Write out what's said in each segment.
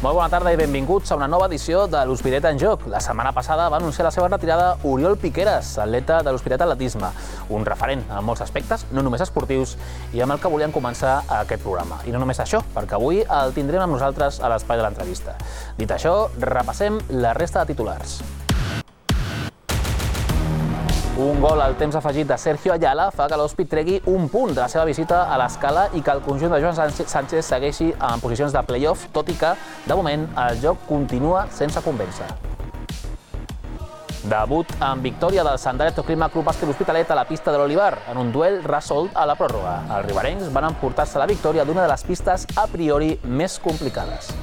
Molt bona tarda i benvinguts a una nova edició de l'Hospitalet en Joc. La setmana passada va anunciar la seva retirada Oriol Piqueras, atleta de l'Hospitalet Atletisme, un referent en molts aspectes, no només esportius, i amb el que volíem començar aquest programa. I no només això, perquè avui el tindrem amb nosaltres a l'espai de l'entrevista. Dit això, repassem la resta de titulars. Un gol al temps afegit de Sergio Ayala fa que l'Hospi tregui un punt de la seva visita a l'Escala i que el conjunt de Joan Sánchez segueixi en posicions de play-off, tot i que, de moment, el joc continua sense convèncer. Debut amb victòria del Sandaletto Clima Club Bàsquet L'Hospitalet a la pista de l'Olivar, en un duel resolt a la pròrroga. Els riberencs van emportar-se la victòria d'una de les pistes a priori més complicades.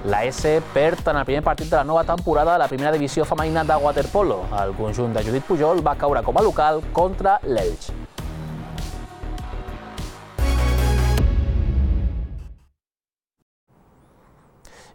La S perd en el primer partit de la nova temporada a la primera divisió femenina de waterpolo. El conjunt de Judit Pujol va caure com a local contra l'Elx.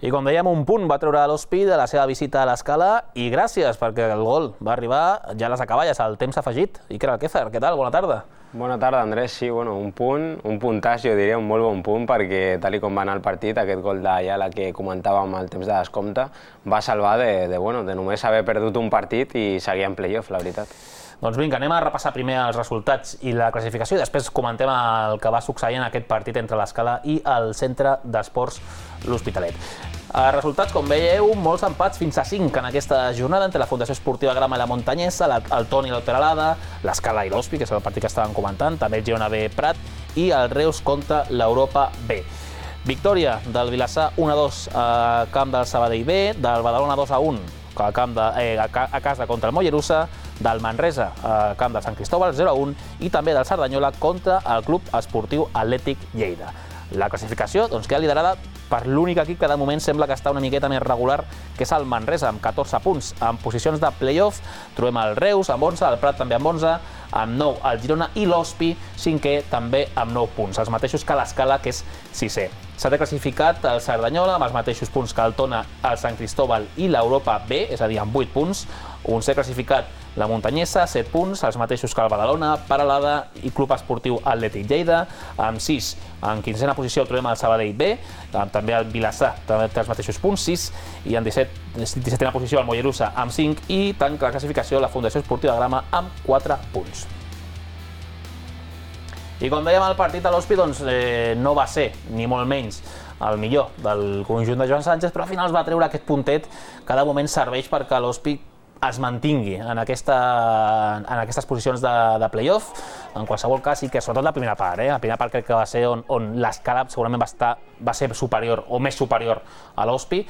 I com dèiem, un punt va treure l'Hospi de la seva visita a l'Escala i gràcies perquè el gol va arribar ja a les acaballes, al temps afegit. Iker Alquézar, què tal? Bona tarda. Bona tarda, Andrés. Sí, un puntàs, jo diria, un molt bon punt, perquè tal com va anar el partit, aquest gol d'Ayala que comentàvem al temps de descompte, va salvar de només haver perdut un partit i seguir en play-off, la veritat. Doncs vinga, anem a repassar primer els resultats i la classificació i després comentem el que va succeir en aquest partit entre l'Escala i el Centre d'Esports L'Hospitalet. Resultats, com veieu, molts empats fins a 5 en aquesta jornada entre la Fundació Esportiva Grama i la Montanyesa, el Toni i el Peralada, l'Escala i l'Hospi, que és el partit que estàvem comentant, també el Girona B Prat i el Reus contra l'Europa B. Victòria del Vilassar 1-2 a camp del Sabadell B, del Badalona 2-1 a casa contra el Mollerussa, del Manresa a camp del Sant Cristóbal 0-1 i també del Cerdanyola contra el Club Esportiu Atlètic Lleida. La classificació queda liderada per l'únic equip que de moment sembla que està una miqueta més regular, que és el Manresa, amb 14 punts. En posicions de play-off trobem el Reus amb 11, el Prat també amb 11, amb 9 el Girona i l'Hospi, cinquè també amb 9 punts, els mateixos que l'Escala, que és sisè. S'ha classificat el Cerdanyola amb els mateixos punts que el Tona, el Sant Cristóbal i l'Europa B, és a dir, amb 8 punts. Un s'ha classificat la Montanyesa, 7 punts, els mateixos que el Badalona, Peralada i Club Esportiu Atlètic Lleida, amb 6. En 15a posició trobem el Sabadell B, també el Vilassar, també té els mateixos punts, 6, i en 17a posició el Mollerussa amb 5 i tanca la classificació la Fundació Esportiva Grama amb 4 punts. I com dèiem, el partit de l'Hospi no va ser, ni molt menys, el millor del conjunt de Joan Sánchez, però al final es va treure aquest puntet que de moment serveix perquè l'Hospi es mantingui en aquestes posicions de play-off. En qualsevol cas, sí que sobretot la primera part. La primera part crec que va ser on l'Escala segurament va ser superior o més superior a l'Hospi,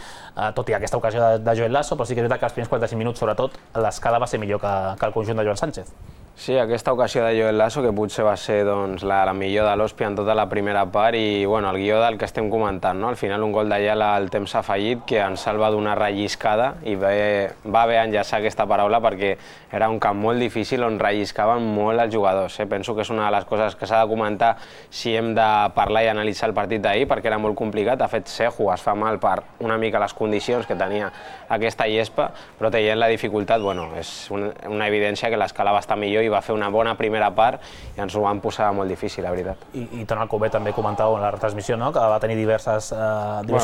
tot i aquesta ocasió de Joel Lasso, però sí que és veritat que els primers 45 minuts, sobretot, l'Escala va ser millor que el conjunt de Joan Sánchez. Sí, aquesta ocasió de Joel Lasso, que potser va ser la millor de l'Hospi en tota la primera part i el guió del que estem comentant. Al final un gol d'Ayala al temps afegit que ens salva d'una relliscada i va bé enllaçar aquesta paraula perquè era un camp molt difícil on relliscaven molt els jugadors. Penso que és una de les coses que s'ha de comentar si hem de parlar i analitzar el partit d'ahir perquè era molt complicat. De fet, Seju es fa mal per una mica les condicions que tenia aquesta llespa, però tenint la dificultat, és una evidència que l'Escala va estar millor i va fer una bona primera part i ens ho van posar molt difícil, la veritat. I Toni Alcover també comentava en la retransmissió que va tenir diversos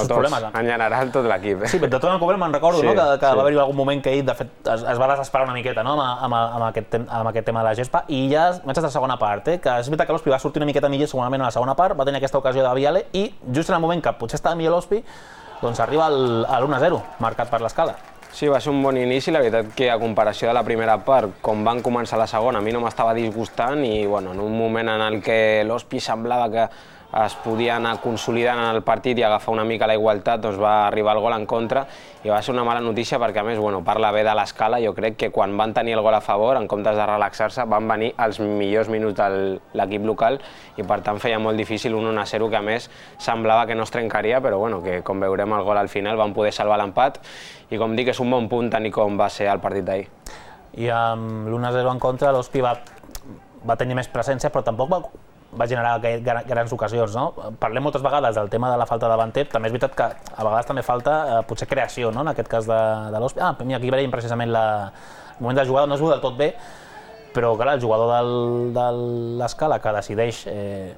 problemes. En general, tot l'equip. Sí, de Toni Alcover me'n recordo que va haver-hi algun moment que ell, de fet, es va desesperar una miqueta amb aquest tema de la gespa i ja vaig a la segona part, que és veritat que l'Hospi va sortir una miqueta millor segurament a la segona part, va tenir aquesta ocasió de Viale i just en el moment que potser estava millor l'Hospi, arriba l'1-0 marcat per l'Escala. Sí, va ser un bon inici, la veritat que a comparació de la primera part, com van començar la segona, a mi no m'estava disgustant i en un moment en el que l'Hospi semblava que es podia anar consolidant en el partit i agafar una mica la igualtat, va arribar el gol en contra i va ser una mala notícia perquè, a més, parla bé de l'Escala. Jo crec que quan van tenir el gol a favor, en comptes de relaxar-se, van venir els millors minuts de l'equip local i, per tant, feia molt difícil un 1-0 que, a més, semblava que no es trencaria, però, que com veurem el gol al final van poder salvar l'empat i, com dic, és un bon punt tenir com va ser el partit d'ahir. I amb l'1-0 en contra, l'Hospi va tenir més presència, però tampoc va generar grans ocasions. Parlem moltes vegades del tema de la falta davanter, també és veritat que a vegades també falta potser creació, en aquest cas de l'Hospi. Aquí veiem precisament el moment de jugada, no es veu del tot bé, però clar, el jugador de l'Escala que decideix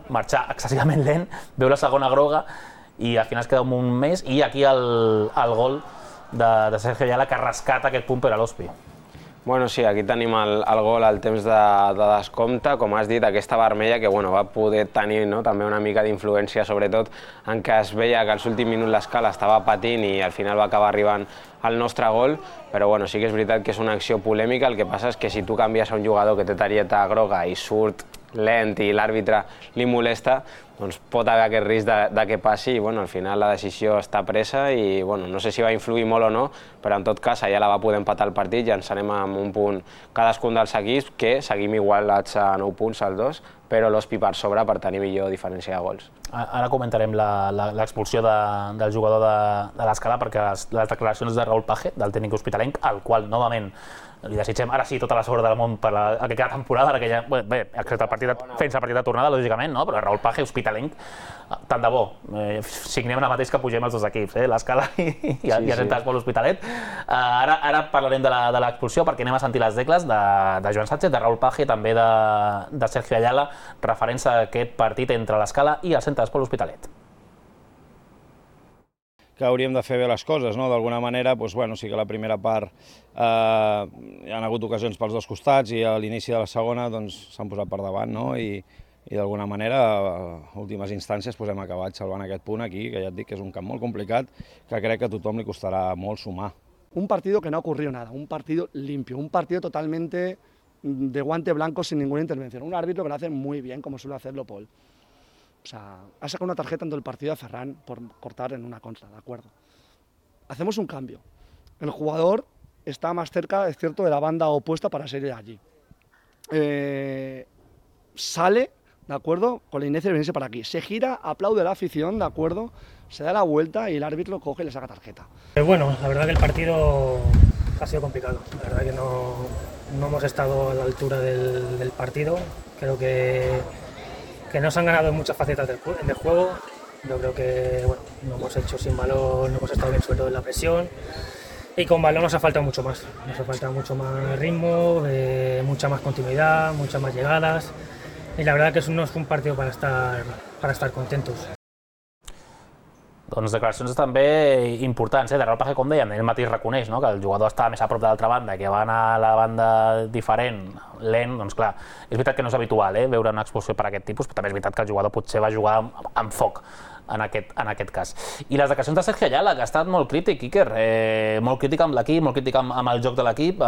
marxar excessivament lent, veu la segona groga i al final es queda un mes, i aquí el gol de Sergio Ayala que rescata aquest punt per a l'Hospi. Bueno, sí, aquí tenim el gol al temps de descompte, com has dit, aquesta vermella que va poder tenir també una mica d'influència, sobretot en què es veia que als últims minuts l'Escala estava patint i al final va acabar arribant al nostre gol, però sí que és veritat que és una acció polèmica, el que passa és que si tu canvies a un jugador que té targeta groga i surt lent i l'àrbitre li molesta, doncs pot haver aquest risc que passi i al final la decisió està presa i no sé si va influir molt o no, però en tot cas allà la va poder empatar el partit i ens anem amb un punt cadascun dels equips, que seguim igualats a 9 punts als dos, però l'Hospi per sobre per tenir millor diferència de gols. Ara comentarem l'expulsió del jugador de l'Escala, perquè les declaracions de Raúl Page, del tècnic hospitalenc, al qual novament li desitgem ara sí tota la sort del món per aquesta temporada, perquè ja, bé, excepte fent-se el partit de tornada, lògicament, però Raúl Page, hospitalenc, tant de bo. Signem ara mateix que pugem els dos equips, l'Escala i el Centre d'Esport L'Hospitalet. Ara parlarem de l'expulsió, perquè anem a sentir les decles de Joan Sánchez, de Raúl Page i també de Sergio Ayala, referents a aquest partit entre l'Escala i el Centre d'Esport L'Hospitalet. Que hauríem de fer bé les coses, no? D'alguna manera, sí que a la primera part hi ha hagut ocasions pels dos costats i a l'inici de la segona s'han posat per davant, no? I d'alguna manera, a últimes instàncies, hem acabat salvant aquest punt aquí, que ja et dic que és un camp molt complicat, que crec que a tothom li costarà molt sumar. Un partido que no ha ocurrido nada, un partido limpio, un partido totalmente de guante blanco sin ninguna intervención. Un árbitro que lo hace muy bien, como suele hacerlo Paul. O sea, ha sacado una tarjeta en todo el partido a Ferran por cortar en una contra, ¿de acuerdo? Hacemos un cambio. El jugador está más cerca, es cierto, de la banda opuesta para salir de allí. Sale, ¿de acuerdo? Con la inercia de venirse para aquí. Se gira, aplaude la afición, ¿de acuerdo? Se da la vuelta y el árbitro coge y le saca tarjeta. Bueno, la verdad que el partido ha sido complicado. La verdad que no hemos estado a la altura del partido. Creo que nos han ganado en muchas facetas del juego. Yo creo que lo hemos hecho sin balón, no hemos estado bien, sobre todo en la presión. Y con balón nos ha faltado mucho más. Nos ha faltado mucho más ritmo, mucha más continuidad, muchas más llegadas. Y la verdad que no es un partido para estar contentos. Doncs declaracions també importants, de Raúl Page, com dèiem, ell mateix reconeix que el jugador estava més a prop de l'altra banda, que va anar a la banda diferent, lent, doncs clar, és veritat que no és habitual veure una expulsió per aquest tipus, però també és veritat que el jugador potser va jugar amb foc en aquest cas. I les declaracions de Sergio Ayala, que ha estat molt crític, Iker, molt crític amb l'equip, molt crític amb el joc de l'equip.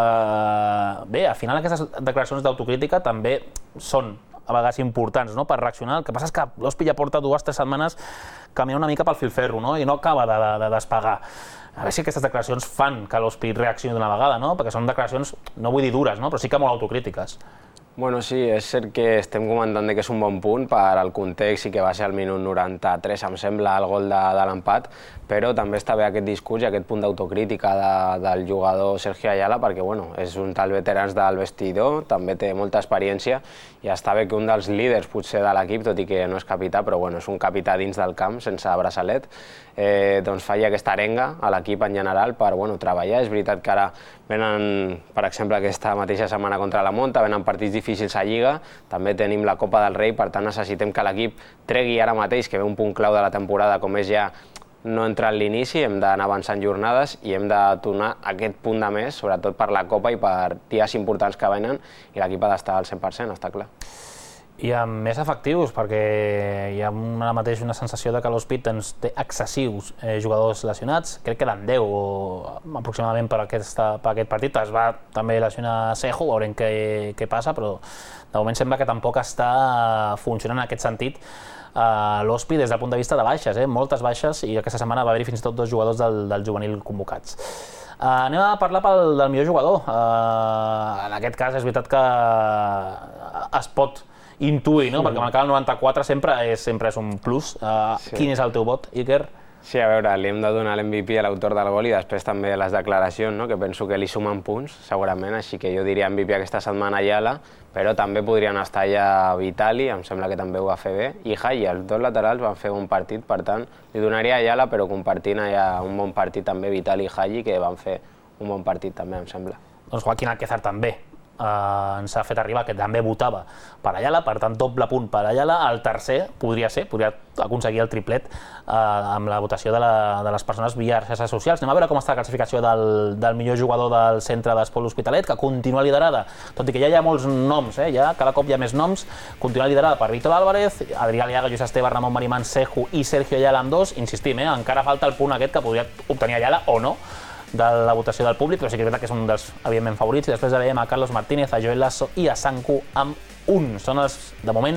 Bé, al final aquestes declaracions d'autocrítica també són a vegades importants per reaccionar. El que passa és que l'Hospi ja porta 2 o 3 setmanes caminant una mica pel filferro i no acaba de despegar. A veure si aquestes declaracions fan que l'Hospi reaccioni d'una vegada, perquè són declaracions, no vull dir dures, però sí que molt autocrítiques. Bueno, sí, és cert que estem comentant que és un bon punt per al context i que va ser al minut 93, em sembla, el gol de l'empat, però també està bé aquest discurs i aquest punt d'autocrítica del jugador Sergio Ayala, perquè és un dels veterans del vestidor, també té molta experiència i està bé que un dels líders potser de l'equip, tot i que no és capità, però és un capità dins del camp, sense braçalet, doncs faci aquesta arenga a l'equip en general per treballar. És veritat que ara venen, per exemple, aquesta mateixa setmana contra la Monta, venen partits difícils a Lliga, també tenim la Copa del Rei, per tant necessitem que l'equip tregui ara mateix, que ve un punt clau de la temporada, com és ja no entrar en l'inici, hem d'anar avançant jornades i hem de tornar aquest punt de més, sobretot per la Copa i per dies importants que venen, i l'equip ha d'estar al 100%, està clar. I amb més efectius, perquè hi ha ara mateix una sensació que l'Hospi té excessius jugadors lesionats. Crec que eren 10 aproximadament per aquest partit. Es va també lesionar Sejo, veurem què passa, però de moment sembla que tampoc està funcionant en aquest sentit l'Hospi des del punt de vista de baixes, moltes baixes, i aquesta setmana va haver-hi fins i tot 2 jugadors del juvenil convocats. Anem a parlar del millor jugador. En aquest cas és veritat que es pot intuir, perquè marcar el 94 sempre és un plus. Quin és el teu vot, Iker? Sí, a veure, li hem de donar l'MVP a l'autor del gol i després també les declaracions, que penso que li sumen punts, segurament, així que jo diria MVP aquesta setmana Ayala, però també podrien estar allà Vitali, em sembla que també ho va fer bé, i Haji, els dos laterals van fer un partit, per tant, li donaria Ayala, però compartint allà un bon partit també Vitali i Haji, que van fer un bon partit també, em sembla. Doncs Joaquín Alquézar també ens ha fet arribar que també votava per Ayala, per tant doble punt per Ayala. El tercer podria aconseguir el triplet amb la votació de les persones via xarxes socials. Anem a veure com està la classificació del millor jugador del centre d'Esport L'Hospitalet, que continua liderada, tot i que ja hi ha molts noms, ja cada cop hi ha més noms, continua liderada per Víctor Álvarez, Adrià Aliaga, Lluís Esteve, Ramon Marimán, Seju i Sergio Ayala amb 2. Insistim, encara falta el punt aquest que podria obtenir Ayala o no de la votació del públic, però sí que és veritat que és un dels, evidentment, favorits. I després veiem a Carlos Martínez, a Joel Lasso i a Sanku amb 1. Són, de moment,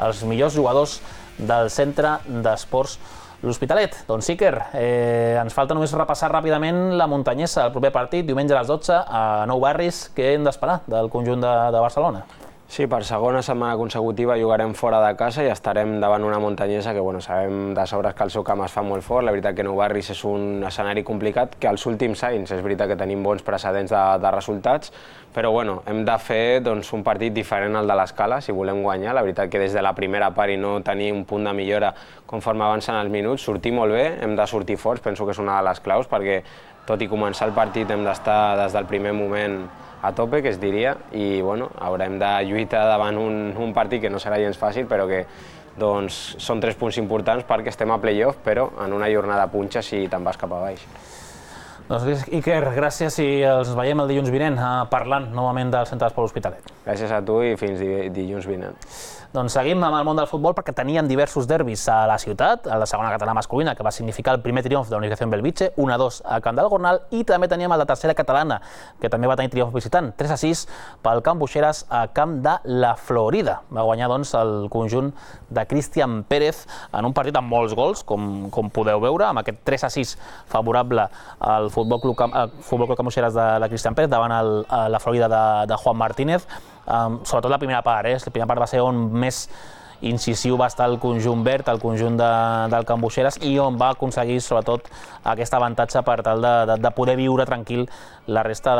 els millors jugadors del centre d'Esports L'Hospitalet. Doncs Iker, ens falta només repassar ràpidament la muntanyesa, el proper partit, diumenge a les 12, a Nou Barris. Què hem d'esperar del conjunt de Barcelona? Sí, per segona setmana consecutiva jugarem fora de casa i estarem davant una muntanyesa que sabem de sobres que el seu camp es fa molt fort. La veritat que Nou Barris és un escenari complicat, que als últims anys és veritat que tenim bons precedents de resultats, però hem de fer un partit diferent al de l'Escala si volem guanyar. La veritat que des de la primera part i no tenir un punt de millora conforme avancen els minuts, sortir molt bé, hem de sortir forts, penso que és una de les claus, perquè tot i començar el partit hem d'estar des del primer moment a tope, que es diria, i haurem de lluitar davant un partit que no serà gens fàcil, però que són 3 punts importants perquè estem a play-off, però en una jornada punxa si te'n vas cap a baix. Doncs Iker, gràcies i els veiem el dilluns vinent parlant novament del centre d'Esport L'Hospitalet. Gràcies a tu i fins dilluns vinent. Doncs seguim amb el món del futbol perquè teníem diversos derbis a la ciutat, a la segona catalana masculina, que va significar el primer triomf de la Universitat Belvitge, 1-2 al camp del Gornal, i també teníem el de tercera catalana, que també va tenir triomf visitant, 3-6 pel Camp Buixeras a camp de la Florida. Va guanyar doncs el conjunt de Cristian Pérez en un partit amb molts gols, com podeu veure, amb aquest 3-6 favorable al Futbol Club Camp Buixeras de Cristian Pérez davant la Florida de Juan Martínez. Sobretot la primera part, la primera part va ser on més incisiu va estar el conjunt verd, el conjunt del Camp Buixeras, i on va aconseguir sobretot aquest avantatge per tal de poder viure tranquil la resta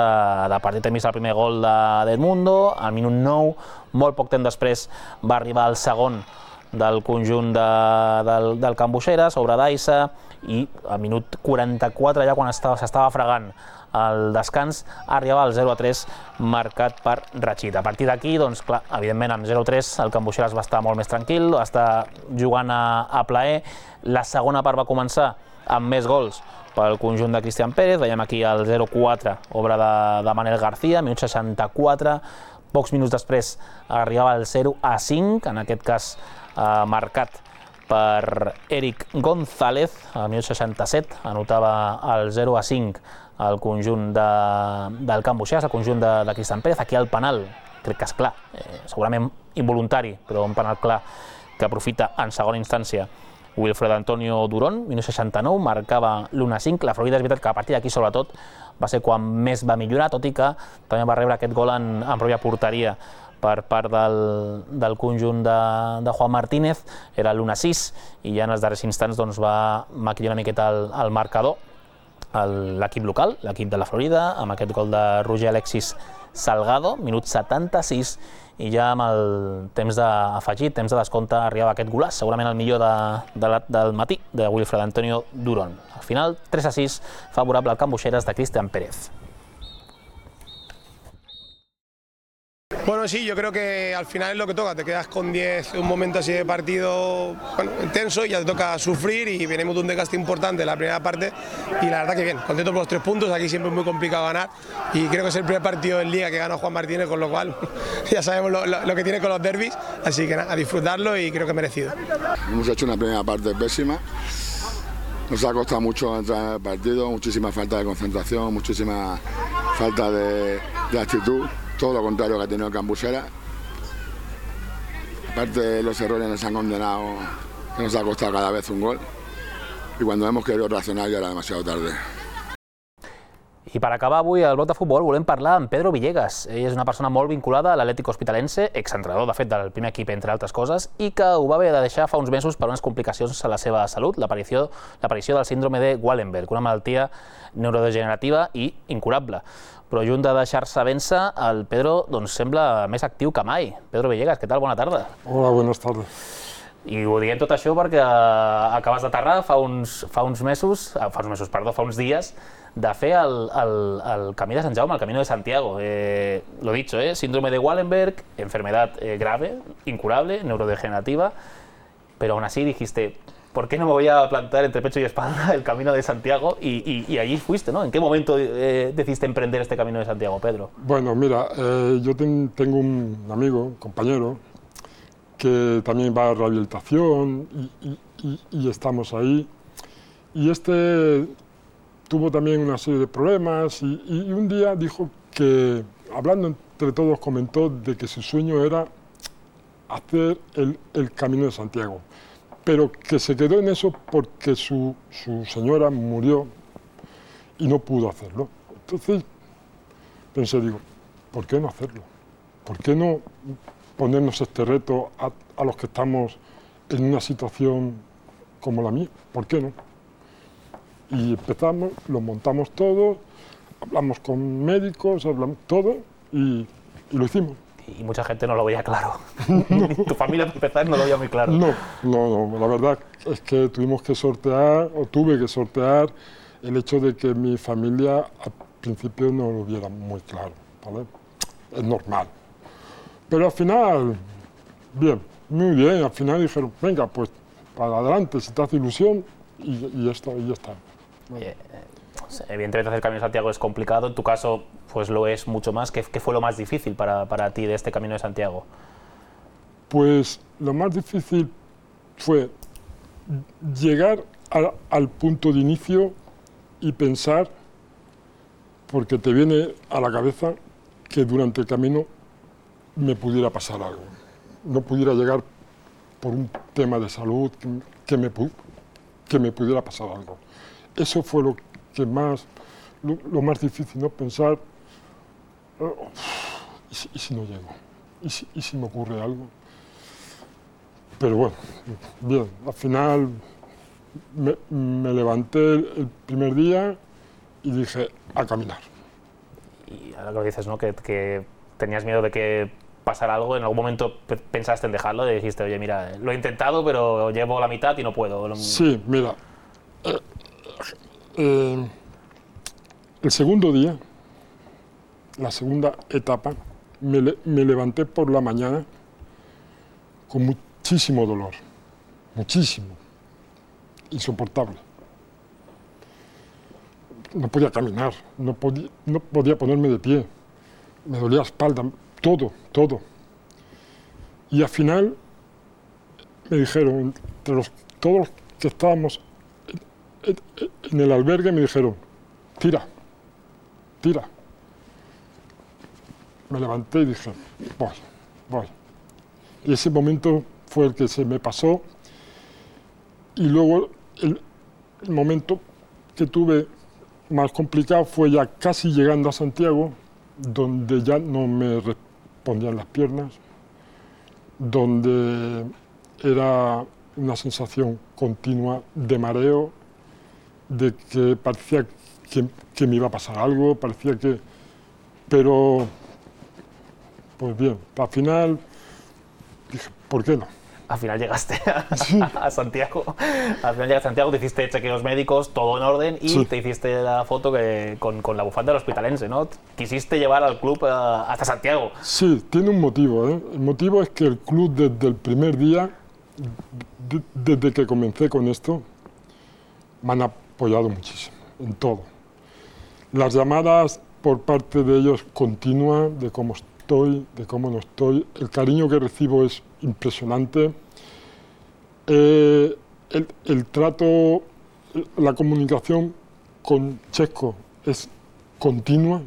de partit. Hem vist el primer gol d'Edmundo, al minut 9, molt poc temps després va arribar el segon del conjunt del Camp Buixeras, obra d'Aissa, i al minut 44, ja quan s'estava fregant el descans, arribava el 0-3 marcat per Rachid. A partir d'aquí, doncs clar, evidentment amb 0-3 el Camp Buixeras va estar molt més tranquil, va estar jugant a plaer. La segona part va començar amb més gols pel conjunt de Cristian Pérez. Veiem aquí el 0-4, obra de Manel García, minut 64. Pocs minuts després arribava el 0-5, en aquest cas marcat per Eric González. Al minut 67 anotava el 0-5 el conjunt del Camp Buixeras, el conjunt de Cristian Pérez. Aquí el penal, crec que és clar, segurament involuntari, però un penal clar que aprofita en segona instància Wilfred Antonio Durón, minut 69, marcava l'1-5. La Florida és veritat que a partir d'aquí, sobretot, va ser quan més va millorar, tot i que també va rebre aquest gol en pròpia porteria per part del conjunt de Juan Martínez. Era l'1-6 i ja en els darrers instants va maquillar una miqueta el marcador l'equip local, l'equip de la Florida, amb aquest gol de Roger Alexis Salgado, minut 76, i ja amb el temps afegit, temps de descompte, arribava aquest golaç, segurament el millor del matí, de Wilfred Antonio Durón. Al final, 3-6, favorable al Camp Buixeras de Cristian Pérez. Bueno, sí, yo creo que al final es lo que toca, te quedas con 10, un momento así de partido intenso y ya te toca sufrir, y venimos de un desgaste importante en la primera parte y la verdad que bien, contento por los 3 puntos, aquí siempre es muy complicado ganar y creo que es el primer partido en Liga que gana Juan Martínez, con lo cual ya sabemos lo que tiene con los derbis, así que nada, a disfrutarlo y creo que merecido. Hemos hecho una primera parte pésima, nos ha costado mucho entrar en el partido, muchísima falta de concentración, muchísima falta de actitud. Todo lo contrario que ha tenido el Camp Buixeras. Aparte, los errores nos han condenado, que nos ha costado cada vez un gol. Y cuando hemos querido reaccionar ya era demasiado tarde. I per acabar avui al bloc de futbol volem parlar amb Pedro Villegas. Ell és una persona molt vinculada a l'Atlètic Hospitalense, exentrenador de fet del primer equip entre altres coses, i que ho va haver de deixar fa uns mesos per unes complicacions a la seva salut, l'aparició del síndrome de Wallenberg, una malaltia neurodegenerativa i incurable. Però junt de deixar-se vèncer, el Pedro sembla més actiu que mai. Pedro Villegas, què tal? Bona tarda. Hola, buenas tardes. I ho diem tot això perquè acabes d'aterrar fa uns dies de fer el camí de Sant Jaume, el Camino de Santiago. Lo dicho, síndrome de Wallenberg, enfermedad grave, incurable, neurodegenerativa, pero aún así dijiste, ¿por qué no me voy a plantar entre pecho y espalda el Camino de Santiago? Y allí fuiste, ¿no? ¿En qué momento decidiste emprender este Camino de Santiago, Pedro? Bueno, mira, yo tengo un amigo, un compañero, que también va a rehabilitación y estamos ahí. Y este tuvo también una serie de problemas y un día dijo que, hablando entre todos, comentó de que su sueño era hacer el Camino de Santiago, pero que se quedó en eso porque su señora murió y no pudo hacerlo. Entonces pensé, digo, ¿por qué no hacerlo? ¿Por qué no ponernos este reto a los que estamos en una situación como la mía? ¿Por qué no? Y empezamos, lo montamos todo, hablamos con médicos, hablamos todo y lo hicimos. Y mucha gente no lo veía claro. Tu familia, para empezar, no lo veía muy claro. No, la verdad es que tuve que sortear el hecho de que mi familia al principio no lo viera muy claro, ¿vale? Es normal. Pero al final, bien, muy bien, al final dijeron, venga, pues para adelante, si te hace ilusión, y ya está. Evidentemente hacer el Camino de Santiago es complicado, en tu caso pues lo es mucho más. ¿Qué fue lo más difícil para ti de este Camino de Santiago? Pues lo más difícil fue llegar al punto de inicio y pensar, porque te viene a la cabeza que durante el camino me pudiera pasar algo, no pudiera llegar por un tema de salud, que me pudiera pasar algo. Eso fue lo más difícil, ¿no? Pensar, ¿y si no llego? ¿Y si me ocurre algo? Pero bueno, bien, al final me levanté el primer día y dije, a caminar. Y ahora que lo dices, ¿no? Que tenías miedo de que pasara algo, ¿en algún momento pensaste en dejarlo? Y dijiste, oye, mira, lo he intentado, pero llevo la mitad y no puedo. Sí, mira, el segundo día, la segunda etapa, me levanté por la mañana con muchísimo dolor, muchísimo, insoportable. No podía caminar, no podía ponerme de pie, me dolía la espalda, todo. Y al final me dijeron, todos los que estábamos en el albergue, me dijeron, tira. Me levanté y dije, voy. Y ese momento fue el que se me pasó. Y luego el momento que tuve más complicado fue ya casi llegando a Santiago, donde ya no me respondían las piernas, donde era una sensación continua de mareo, de que parecía que me iba a pasar algo, pero pues bien, al final dije, ¿por qué no? Al final llegaste a Santiago. Al final llegaste a Santiago, te hiciste chequeos médicos, todo en orden, y te hiciste la foto con la bufanda del Hospitalense, ¿no? Quisiste llevar al club hasta Santiago. Sí, tiene un motivo, ¿eh? El motivo es que el club desde el primer día, desde que comencé con esto, me han apoyado muchísimo, en todo. Las llamadas por parte de ellos continuas, de cómo estoy, de cómo no estoy. El cariño que recibo es impresionante. El trato, la comunicación con Checo es continua.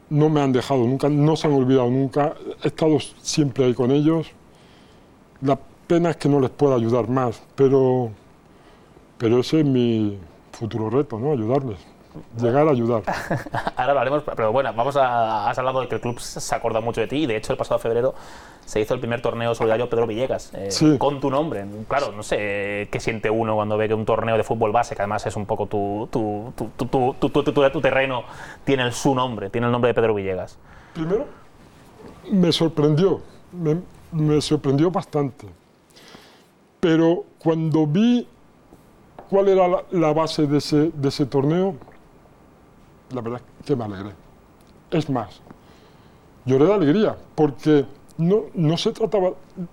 No me han dejado nunca, no se han olvidado nunca. He estado siempre ahí con ellos. La pena es que no les pueda ayudar más, pero ese es mi futuro reto, ¿no? Ayudarles. Llegar a ayudar. Ahora hablaremos, pero bueno, has hablado de que el club se acuerda mucho de ti, y de hecho el pasado febrero se hizo el primer torneo solidario Pedro Villegas, con tu nombre. Claro, no sé qué siente uno cuando ve que un torneo de fútbol base, que además es un poco tu terreno, tiene su nombre, tiene el nombre de Pedro Villegas. Primero, me sorprendió, me sorprendió bastante, pero cuando vi cuál era la base de ese torneo, la verdad es que me alegré. Es más, lloré de alegría, porque no se trataba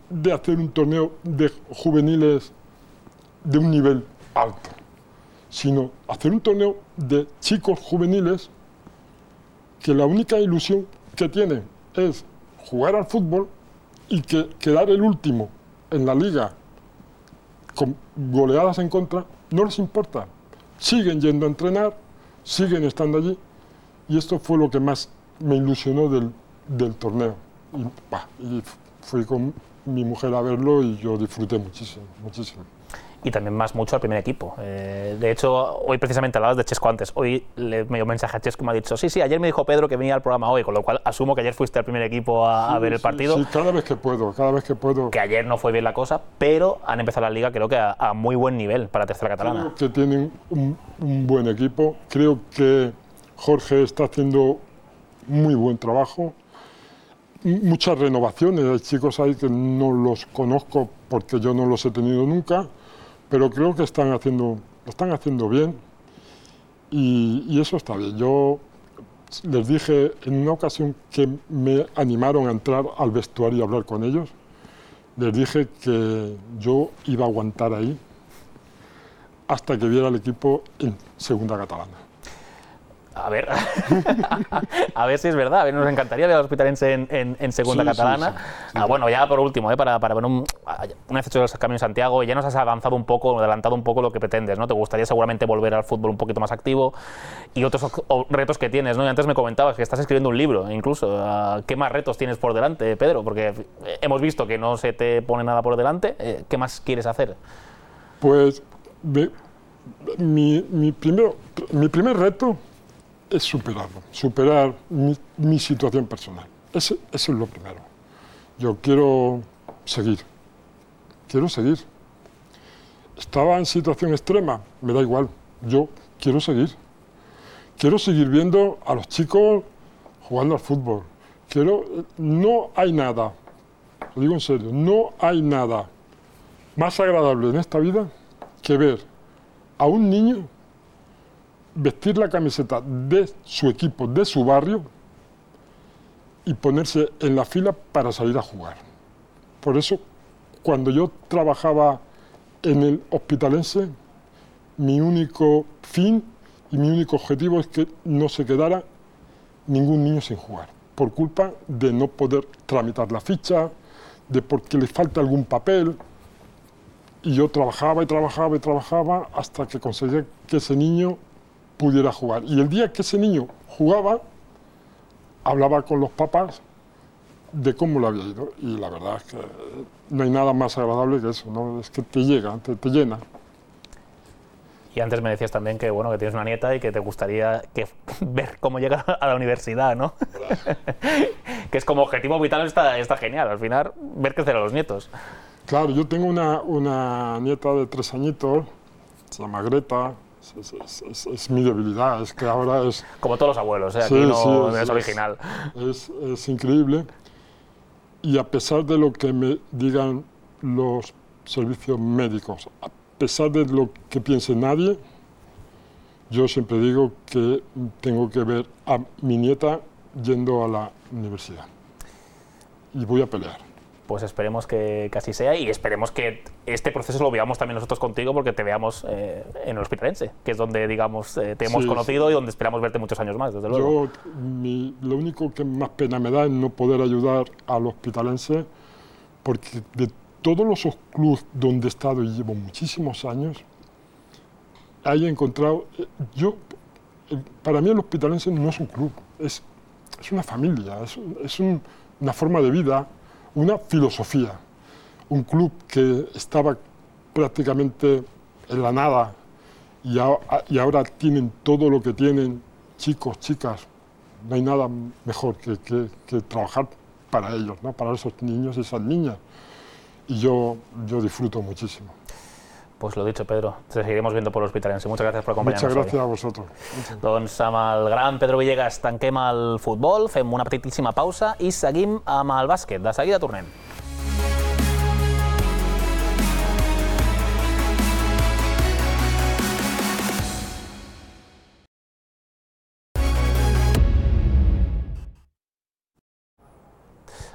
de hacer un torneo de juveniles de un nivel alto, sino hacer un torneo de chicos juveniles que la única ilusión que tienen es jugar al fútbol y que quedar el último en la liga con goleadas en contra no les importa. Siguen yendo a entrenar, siguen estando allí, y esto fue lo que más me ilusionó del torneo. Y fui con mi mujer a verlo y yo disfruté muchísimo, muchísimo. Y también más mucho al primer equipo. De hecho, hoy precisamente hablabas de Chesco antes. Hoy le me dio un mensaje a Chesco y me ha dicho, sí, ayer me dijo Pedro que venía al programa hoy, con lo cual asumo que ayer fuiste al primer equipo a ver el partido. Sí, cada vez que puedo. Que ayer no fue bien la cosa, pero han empezado la liga creo que a muy buen nivel para tercera catalana. Creo que tienen un buen equipo. Creo que Jorge está haciendo muy buen trabajo. Muchas renovaciones. Hay chicos ahí que no los conozco porque yo no los he tenido nunca, pero creo que lo están haciendo bien y eso está bien. Yo les dije en una ocasión que me animaron a entrar al vestuario y hablar con ellos, les dije que yo iba a aguantar ahí hasta que viera el equipo en segunda catalana. A ver, a ver si es verdad. A ver, nos encantaría ver al Hospitalense en segunda catalana. Sí. Bueno, ya por último, para ver un hecho del Camino de Santiago, ya nos has avanzado un poco, adelantado un poco lo que pretendes, ¿no? Te gustaría seguramente volver al fútbol un poquito más activo y otros retos que tienes, ¿no? Y antes me comentabas que estás escribiendo un libro, incluso. ¿Qué más retos tienes por delante, Pedro? Porque hemos visto que no se te pone nada por delante. ¿Qué más quieres hacer? Pues mi primer reto es superar mi situación personal. Eso es lo primero. Yo quiero seguir. Estaba en situación extrema, me da igual. Yo quiero seguir. Quiero seguir viendo a los chicos jugando al fútbol. No hay nada, lo digo en serio, no hay nada más agradable en esta vida que ver a un niño vestir la camiseta de su equipo, de su barrio, y ponerse en la fila para salir a jugar. Por eso, cuando yo trabajaba en el Hospitalense, mi único fin y mi único objetivo es que no se quedara ningún niño sin jugar, por culpa de no poder tramitar la ficha, de porque le falta algún papel. Y yo trabajaba hasta que conseguía que ese niño pudiera jugar. Y el día que ese niño jugaba, hablaba con los papás de cómo le había ido. Y la verdad es que no hay nada más agradable que eso, ¿no? Es que te llega, te llena. Y antes me decías también que, bueno, que tienes una nieta y que te gustaría ver cómo llega a la universidad, ¿no? Que es como objetivo vital, está genial. Al final, ver crecer a los nietos. Claro, yo tengo una nieta de 3 añitos, se llama Greta. Es mi debilidad, es que ahora es... Como todos los abuelos, aquí no es original. Es increíble. Y a pesar de lo que me digan los servicios médicos, a pesar de lo que piense nadie, yo siempre digo que tengo que ver a mi nieta yendo a la universidad. Y voy a pelear. Pues esperemos que así sea y esperemos que este proceso lo veamos también nosotros contigo, porque te veamos en el Hospitalense, que es donde, digamos, te hemos conocido y donde esperamos verte muchos años más, desde luego. Lo único que más pena me da es no poder ayudar al Hospitalense, porque de todos los clubes donde he estado y llevo muchísimos años, he encontrado... para mí el Hospitalense no es un club, es una familia, es una forma de vida, una filosofía, un club que estaba prácticamente en la nada y ahora tienen todo lo que tienen, chicos, chicas. No hay nada mejor que trabajar para ellos, ¿no? Para esos niños y esas niñas. Y yo disfruto muchísimo. Pues lo dicho, Pedro, te seguiremos viendo por l'Hospitalense. Muchas gracias por acompanyar-nos. Muchas gracias a vosotros. Doncs amb el gran Pedro Villegas tanquem el futbol, fem una petitíssima pausa i seguim amb el bàsquet. De seguida tornem.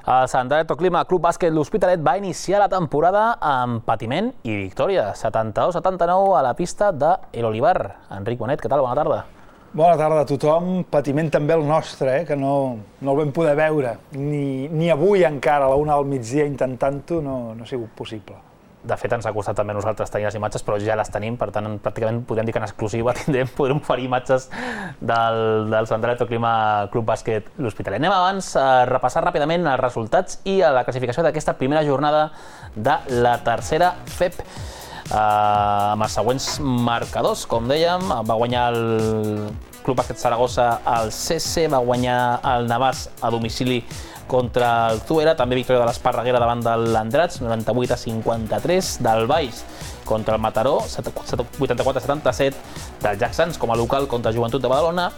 El Sant Alberto Clima Club Bàsquet L'Hospitalet va iniciar la temporada amb patiment i victòria, 72-79 a la pista de El Olivar. Enric Bonet, què tal? Bona tarda. Bona tarda a tothom. Patiment també el nostre, que no el vam poder veure. Ni avui encara, a la 1 del migdia, intentant-ho, no ha sigut possible. De fet, ens ha costat també a nosaltres tenir les imatges, però ja les tenim, per tant, pràcticament podem dir que en exclusiva podrem oferir imatges del Sant Alberto Clima Club Bàsquet L'Hospitalet. Anem abans a repassar ràpidament els resultats i la classificació d'aquesta primera jornada de la tercera FEP. Amb els següents marcadors, com dèiem, va guanyar el Club Bàsquet Saragossa al CC, va guanyar el Navàs a domicili contra el Zuera, també victòria de l'Esparreguera davant de l'Andratx, 98-53, del Baix contra el Mataró, 84-77, del Jacksans com a local contra Joventut de Badalona,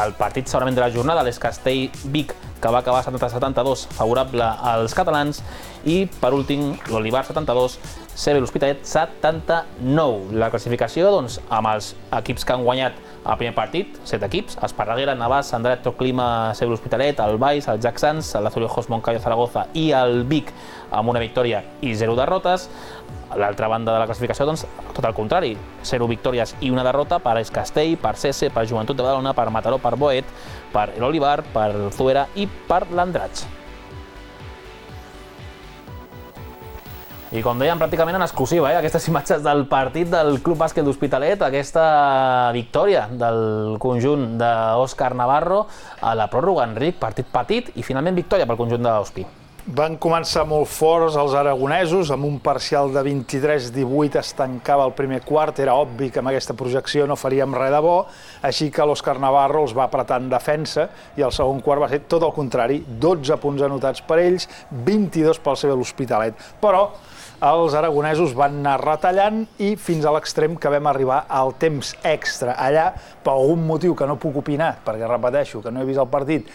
el partit segurament de la jornada, l'Escastell-Vic, que va acabar 70-72, favorable als catalans, i per últim l'Olivar 72, CB L'Hospitalet 79. La classificació, doncs, amb els equips que han guanyat el primer partit, 7 equips, Esparreguera, Navàs, Sant Alberto Clima, CB L'Hospitalet, el Baix, el Jacksans, l'Azulejos Moncayo Zaragoza i el Vic amb una victòria i 0 derrotes. A l'altra banda de la classificació, doncs, tot el contrari, 0 victòries i una derrota per Escastell, per CC, per Joventut de Badalona, per Mataró, per Boet, per l'Olivar, per Zuera i per l'Andratx. I com dèiem, pràcticament en exclusiva, aquestes imatges del partit del Club Bàsquet L'Hospitalet, aquesta victòria del conjunt d'Òscar Navarro a la pròrroga. Enric, partit petit i finalment victòria pel conjunt de l'Hospi. Van començar molt forts els aragonesos, amb un parcial de 23-18 es tancava el primer quart, era obvi que amb aquesta projecció no faríem res de bo, així que l'Òscar Navarro els va apretar en defensa i el segon quart va ser tot el contrari, 12 punts anotats per ells, 22 pel CB L'Hospitalet. Però els aragonesos van anar retallant i fins a l'extrem que vam arribar al temps extra. Allà, per algun motiu que no puc opinar, perquè repeteixo que no he vist el partit,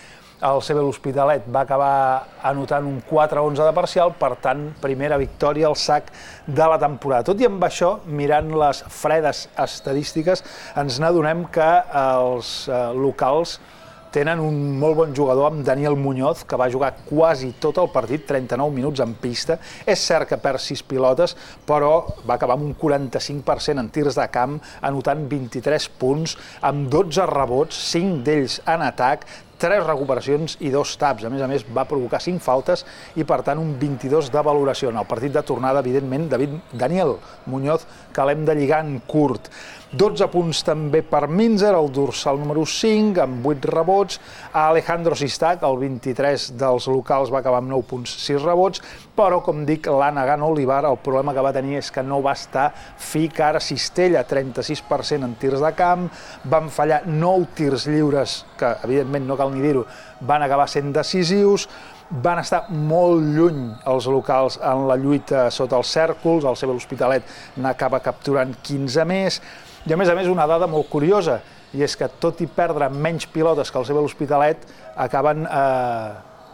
el CB L'Hospitalet va acabar anotant un 4-11 de parcial, per tant, primera victòria al sac de la temporada. Tot i amb això, mirant les fredes estadístiques, ens n'adonem que els locals tenen un molt bon jugador amb Daniel Muñoz, que va jugar quasi tot el partit, 39 minuts en pista. És cert que perd 6 pilotes, però va acabar amb un 45% en tirs de camp, anotant 23 punts, amb 12 rebots, 5 d'ells en atac, 3 recuperacions i 2 taps. A més, va provocar 5 faltes i, per tant, un 22 de valoració. En el partit de tornada, evidentment, Daniel Muñoz, que l'hem de lligar en curt. 12 punts també per Minzer, el dorsal número 5, amb 8 rebots. Alejandro Sistac, el 23 dels locals, va acabar amb 9 punts, 6 rebots, però, com dic, l'Anagan Olivar, el problema que va tenir és que no va estar fi cara Cistella, 36% en tirs de camp, van fallar 9 tirs lliures, que, evidentment, no cal ni dir-ho, van acabar sent decisius, van estar molt lluny els locals en la lluita sota els cèrcols, el CB L'Hospitalet n'acaba capturant 15 més, i a més, una dada molt curiosa, i és que tot i perdre menys pilotes que el CB L'Hospitalet, acaben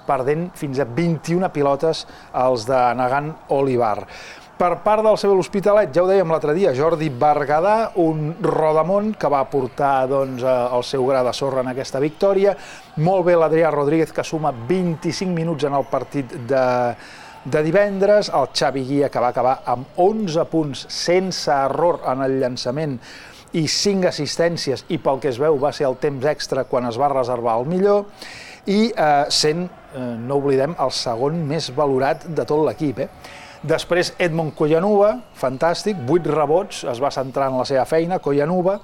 perdent fins a 21 pilotes els de Nagan Olivar. Per part del CB L'Hospitalet, ja ho dèiem l'altre dia, Jordi Berguedà, un rodamont que va portar el seu gra de sorra en aquesta victòria. Molt bé l'Adrià Rodríguez, que suma 25 minuts en el partit de divendres, el Xavi Guia, que va acabar amb 11 punts sense error en el llançament i 5 assistències, i pel que es veu va ser el temps extra quan es va reservar el millor, i sent, no oblidem, el segon més valorat de tot l'equip. Després Edmond Collanuva, fantàstic, 8 rebots, es va centrar en la seva feina, Collanuva,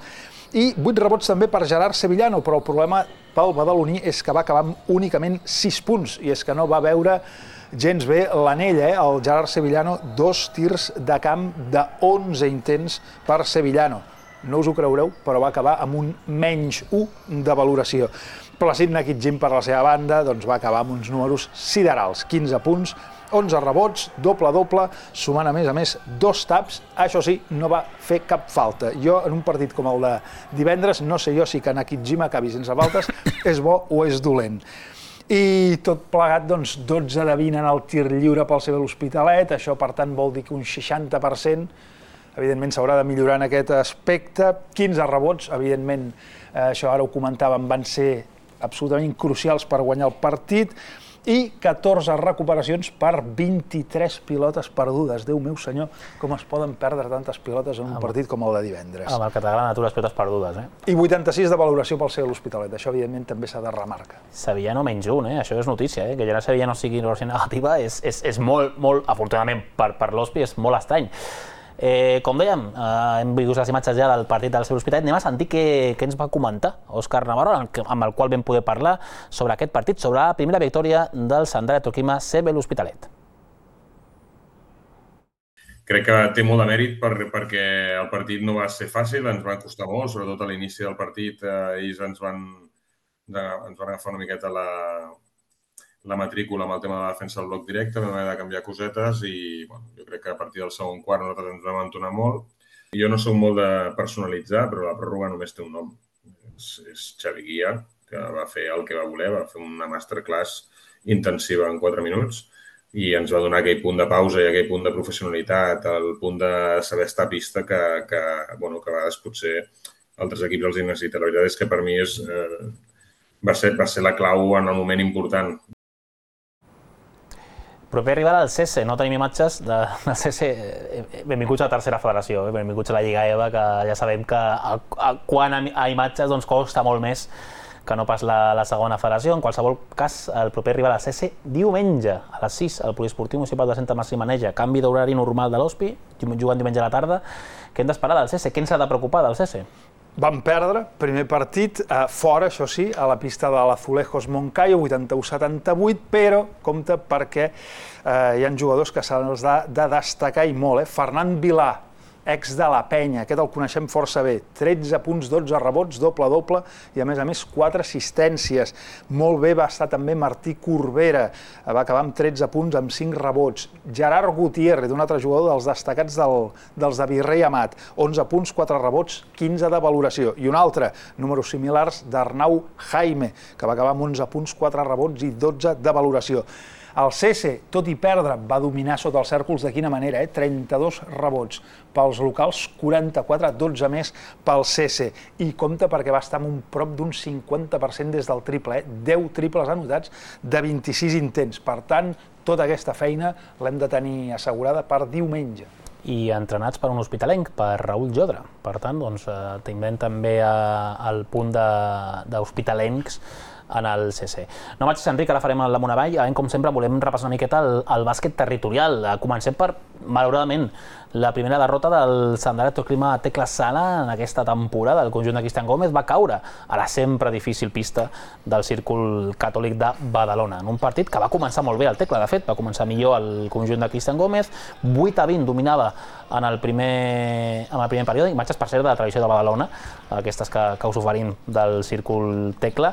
i 8 rebots també per Gerard Sevillano, però el problema pel badaloní és que va acabar amb únicament 6 punts, i és que no va veure gens bé l'anell, el Gerard Sevillano, 2 tirs de camp de 11 intents per Sevillano. No us ho creureu, però va acabar amb un menys 1 de valoració. Placid Nakitjin, per la seva banda, va acabar amb uns números siderals, 15 punts, 11 rebots, doble-doble, sumant a més 2 taps. Això sí, no va fer cap falta. Jo, en un partit com el de divendres, no sé jo si que Nakitjin acabi sense faltes és bo o és dolent. I tot plegat, 12 de 20 en el tir lliure pel CB L'Hospitalet, això per tant vol dir que un 60%, evidentment s'haurà de millorar en aquest aspecte. 15 rebots, evidentment, això ara ho comentàvem, van ser absolutament crucials per guanyar el partit. i 14 recuperacions per 23 pilotes perdudes. Déu meu senyor, com es poden perdre tantes pilotes en un partit com el de divendres. Amb el que t'agraden a tu les pilotes perdudes, I 86 de valoració pel CB l'Hospitalet. Això, evidentment, també s'ha de remarcar. Sevillano menys un, això és notícia, que ja la Sevillano sigui negativa és molt, afortunadament per l'Hospi, és molt estrany. Com dèiem, hem vist les imatges ja del partit del CB l'Hospitalet. Anem a sentir què ens va comentar Òscar Navarro, amb el qual vam poder parlar sobre aquest partit, sobre la primera victòria del Sandara Toquima CB l'Hospitalet. Crec que té molt de mèrit perquè el partit no va ser fàcil, ens va costar molt, sobretot a l'inici del partit ells ens van agafar una miqueta la matrícula amb el tema de la defensa del bloc directe, vam haver de canviar cosetes i jo crec que a partir del segon quart nosaltres ens vam entonar molt. Jo no soc molt de personalitzar, però la pròrroga només té un nom. És Xavi Guia, que va fer el que va voler, va fer una masterclass intensiva en 4 minuts i ens va donar aquell punt de pausa i aquell punt de professionalitat, el punt de saber estar a pista que a vegades potser altres equips els necessiten. La veritat és que per mi va ser la clau en el moment important. Proper rival al CESE, no tenim imatges del CESE. Benvinguts a la tercera federació, benvinguts a la Lliga EVA, que ja sabem que quan a imatges costa molt més que no pas la segona federació. En qualsevol cas, el proper rival al CESE diumenge a les 6 al Poliesportiu Municipal de Santa Marcimaneja. Canvi d'horari normal de l'Hospi, jugant diumenge a la tarda. Què hem d'esperar del CESE? Què ens ha de preocupar del CESE? Van perdre, primer partit, fora, això sí, a la pista de l'Azulejos Moncayo, 81-78, però compte perquè hi ha jugadors que s'han de destacar i molt. Fernand Vilà, ex de la Penya, aquest el coneixem força bé, 13 punts, 12 rebots, doble-doble i a més 4 assistències. Molt bé va estar també Martí Corbera, va acabar amb 13 punts amb 5 rebots. Gerard Gutiérrez, un altre jugador dels destacats dels de Virrei Amat, 11 punts, 4 rebots, 15 de valoració. I un altre, números similars d'Arnau Jaime, que va acabar amb 11 punts, 4 rebots i 12 de valoració. El CESE, tot i perdre, va dominar sota els cèrcols de quina manera, 32 rebots pels locals, 44, 12 més pel CESE. I compte perquè va estar amb un prop d'un 50% des del triple, 10 triples anotats de 26 intents. Per tant, tota aquesta feina l'hem de tenir assegurada per diumenge. I entrenats per un hospitalenc, per Raül Jodra. Per tant, tindrem també el punt d'hospitalencs en el CC. No marxis, Enric, ara farem la Monavall. Com sempre, volem repassar una miqueta el bàsquet territorial. Comencem per, malauradament, la primera derrota del Sandara Toquima Tecla Sala en aquesta temporada. El conjunt de Cristian Gómez va caure a la sempre difícil pista del Círcul Catòlic de Badalona, en un partit que va començar molt bé el Tecla, de fet, va començar millor el conjunt de Cristian Gómez, 8-20 dominava en el primer període, imatges per cert de la tradició de Badalona, aquestes que us oferim del Círcul Tecla.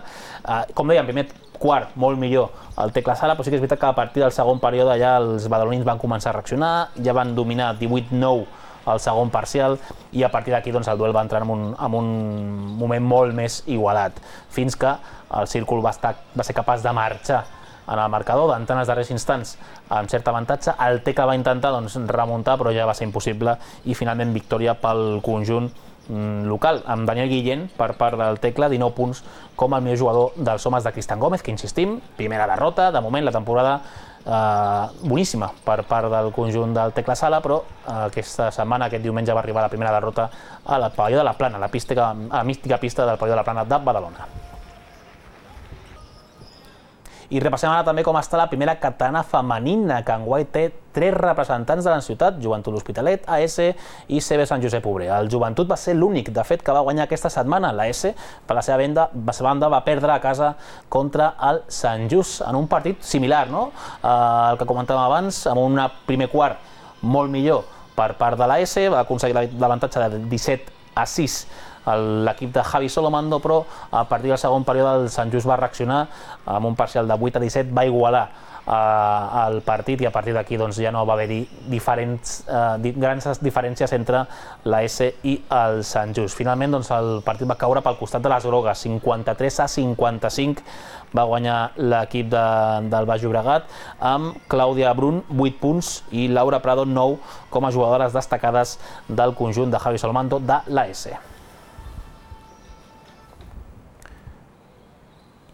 Com dèiem, primer quart, molt millor el Tecla Sala, però sí que és veritat que a partir del segon període ja els badalonins van començar a reaccionar, ja van dominar 18-9 el segon parcial i a partir d'aquí el duel va entrar en un moment molt més igualat, fins que el Círcul va ser capaç de marxar en el marcador, d'entrar en els darrers instants amb cert avantatge. El Tecla va intentar remuntar, però ja va ser impossible i finalment victòria pel conjunt local, amb Daniel Guillén per part del Tecla, 19 punts com el millor jugador dels homes de Cristian Gómez, que insistim, primera derrota, de moment la temporada boníssima per part del conjunt del Tecla Sala, però aquesta setmana, aquest diumenge, va arribar la primera derrota al Pavelló de la Plana, a la mística pista del Pavelló de la Plana de Badalona. I repassem ara també com està la primera catalana femenina, que enguany té 3 representants de la ciutat, Joventut L'Hospitalet, AS i CB Sant Josep Obrer. El Joventut va ser l'únic, de fet, que va guanyar aquesta setmana. L'AS, per la seva banda, va perdre a casa contra el Sant Just, en un partit similar, no? El que comentàvem abans, amb un primer quart molt millor per part de l'AS, va aconseguir l'avantatge de 17-6 l'equip de Javi Solomando, però a partir del segon període el Sant Just va reaccionar amb un parcial de 8-17, va igualar el partit i a partir d'aquí ja no va haver-hi grans diferències entre l'AS i el Sant Just. Finalment el partit va caure pel costat de les grogues, 53-55 va guanyar l'equip del Baix Llobregat amb Clàudia Brun, 8 punts, i Laura Prado, 9, com a jugadores destacades del conjunt de Javi Solomando de l'AS.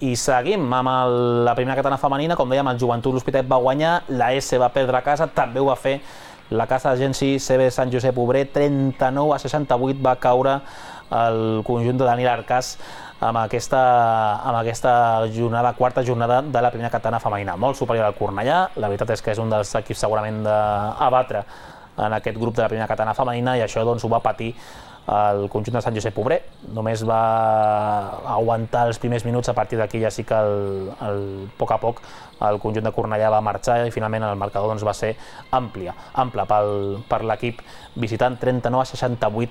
I seguim amb la primera catalana femenina. Com dèiem, el Joventut L'Hospitalet va guanyar, la S va perdre a casa, també ho va fer la casa d'Agenci CB Sant Josep Obrer, 39-68 va caure el conjunt de Daniel Arcas amb aquesta jornada, quarta jornada de la primera catalana femenina. Molt superior al Cornellà, la veritat és que és un dels equips segurament a batre en aquest grup de la primera catalana femenina, i això doncs ho va patir el conjunt de Sant Josep Obrer. Només va aguantar els primers minuts, a partir d'aquí ja sí que a poc a poc el conjunt de Cornellà va marxar i finalment el marcador doncs va ser ample per l'equip visitant. 39-68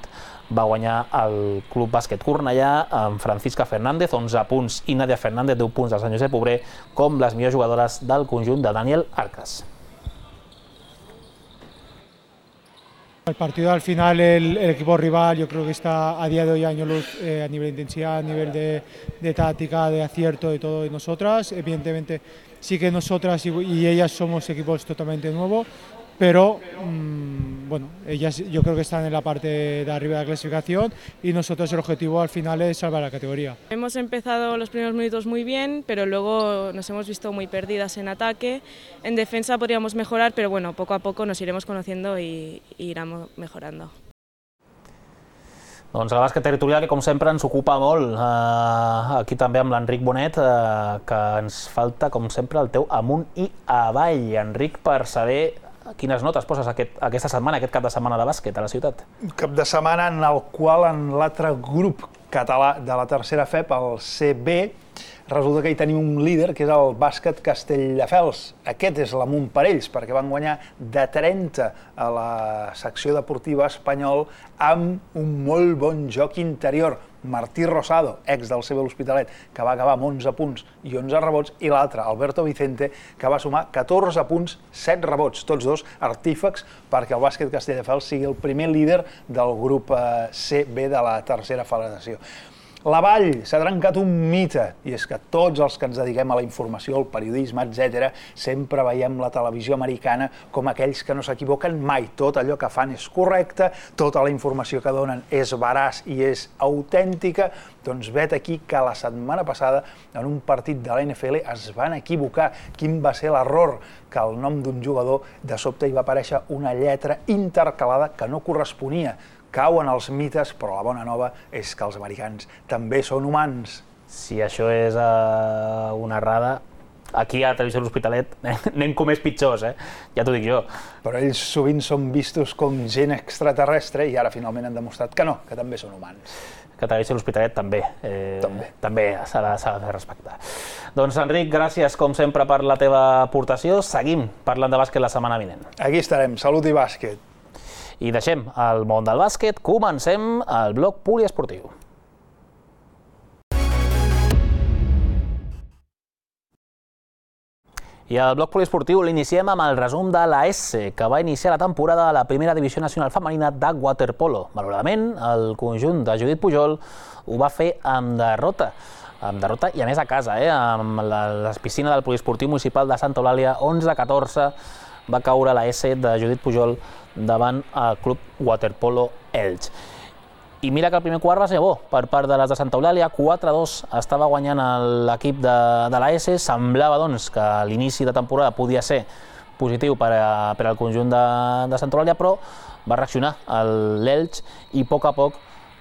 va guanyar el Club Bàsquet Cornellà amb Francisca Fernández, 11 punts, i Nadia Fernández, 10 punts del Sant Josep Obrer, com les millors jugadores del conjunt de Daniel Arcas. El partido al final, el equipo rival yo creo que está a día de hoy año luz a nivel de intensidad, a nivel de táctica, de acierto de todo de nosotras. Evidentemente sí que nosotras y ellas somos equipos totalmente nuevos, pero bueno, ellas yo creo que están en la parte de arriba de la clasificación y nosotros el objetivo al final es salvar la categoría. Hemos empezado los primeros minutos muy bien, pero luego nos hemos visto muy perdidas en ataque. En defensa podríamos mejorar, pero bueno, poco a poco nos iremos conociendo y iremos mejorando. Doncs el bàsquet territorial, que com sempre ens ocupa molt, aquí també amb l'Enric Bonet, que ens falta com sempre el teu amunt i avall, Enric, per saber quines notes poses aquesta setmana, aquest cap de setmana de bàsquet a la ciutat. Un cap de setmana en el qual en l'altre grup català de la tercera FEP, el CB, resulta que hi tenim un líder, que és el bàsquet Castelldefels. Aquest és l'amunt per ells, perquè van guanyar de 30 a la secció deportiva espanyol amb un molt bon joc interior. Martí Rosado, ex del CB L'Hospitalet, que va acabar amb 11 punts i 11 rebots, i l'altre, Alberto Vicente, que va sumar 14 punts, 7 rebots, tots dos artífecs perquè el bàsquet Castelldefels sigui el primer líder del grup CB de la tercera federació. La Vall s'ha trencat un mite, i és que tots els que ens dediquem a la informació, al periodisme, etc., sempre veiem la televisió americana com aquells que no s'equivoquen mai. Tot allò que fan és correcte, tota la informació que donen és veraç i és autèntica. Doncs vet aquí que la setmana passada, en un partit de la NFL, es van equivocar. Quin va ser l'error? Que al nom d'un jugador de sobte hi va aparèixer una lletra intercalada que no corresponia. Cauen els mites, però la bona nova és que els americans també són humans. Si això és una errada, aquí a Televisió L'Hospitalet anem com més pitjors, ja t'ho dic jo. Però ells sovint són vistos com gent extraterrestre i ara finalment han demostrat que no, que també són humans. Que Televisió L'Hospitalet també s'ha de fer respectar. Doncs Enric, gràcies com sempre per la teva aportació. Seguim parlant de bàsquet la setmana vinent. Aquí estarem, salut i bàsquet. I deixem el món del bàsquet, comencem el bloc poliesportiu. I el bloc poliesportiu l'iniciem amb el resum de la S, que va iniciar la temporada a la primera divisió nacional femenina de waterpolo. Malauradament, el conjunt de Judit Pujol ho va fer amb derrota. I a més a casa, amb la piscina del poliesportiu municipal de Santa Eulàlia, 11-14, va caure la S de Judit Pujol davant el Club Waterpolo Elx. I mira que el primer quart va ser bo per part de les de Santa Eulàlia, 4-2 estava guanyant l'equip de la S. Semblava doncs que l'inici de temporada podia ser positiu per al conjunt de Santa Eulàlia, però va reaccionar l'Elx i a poc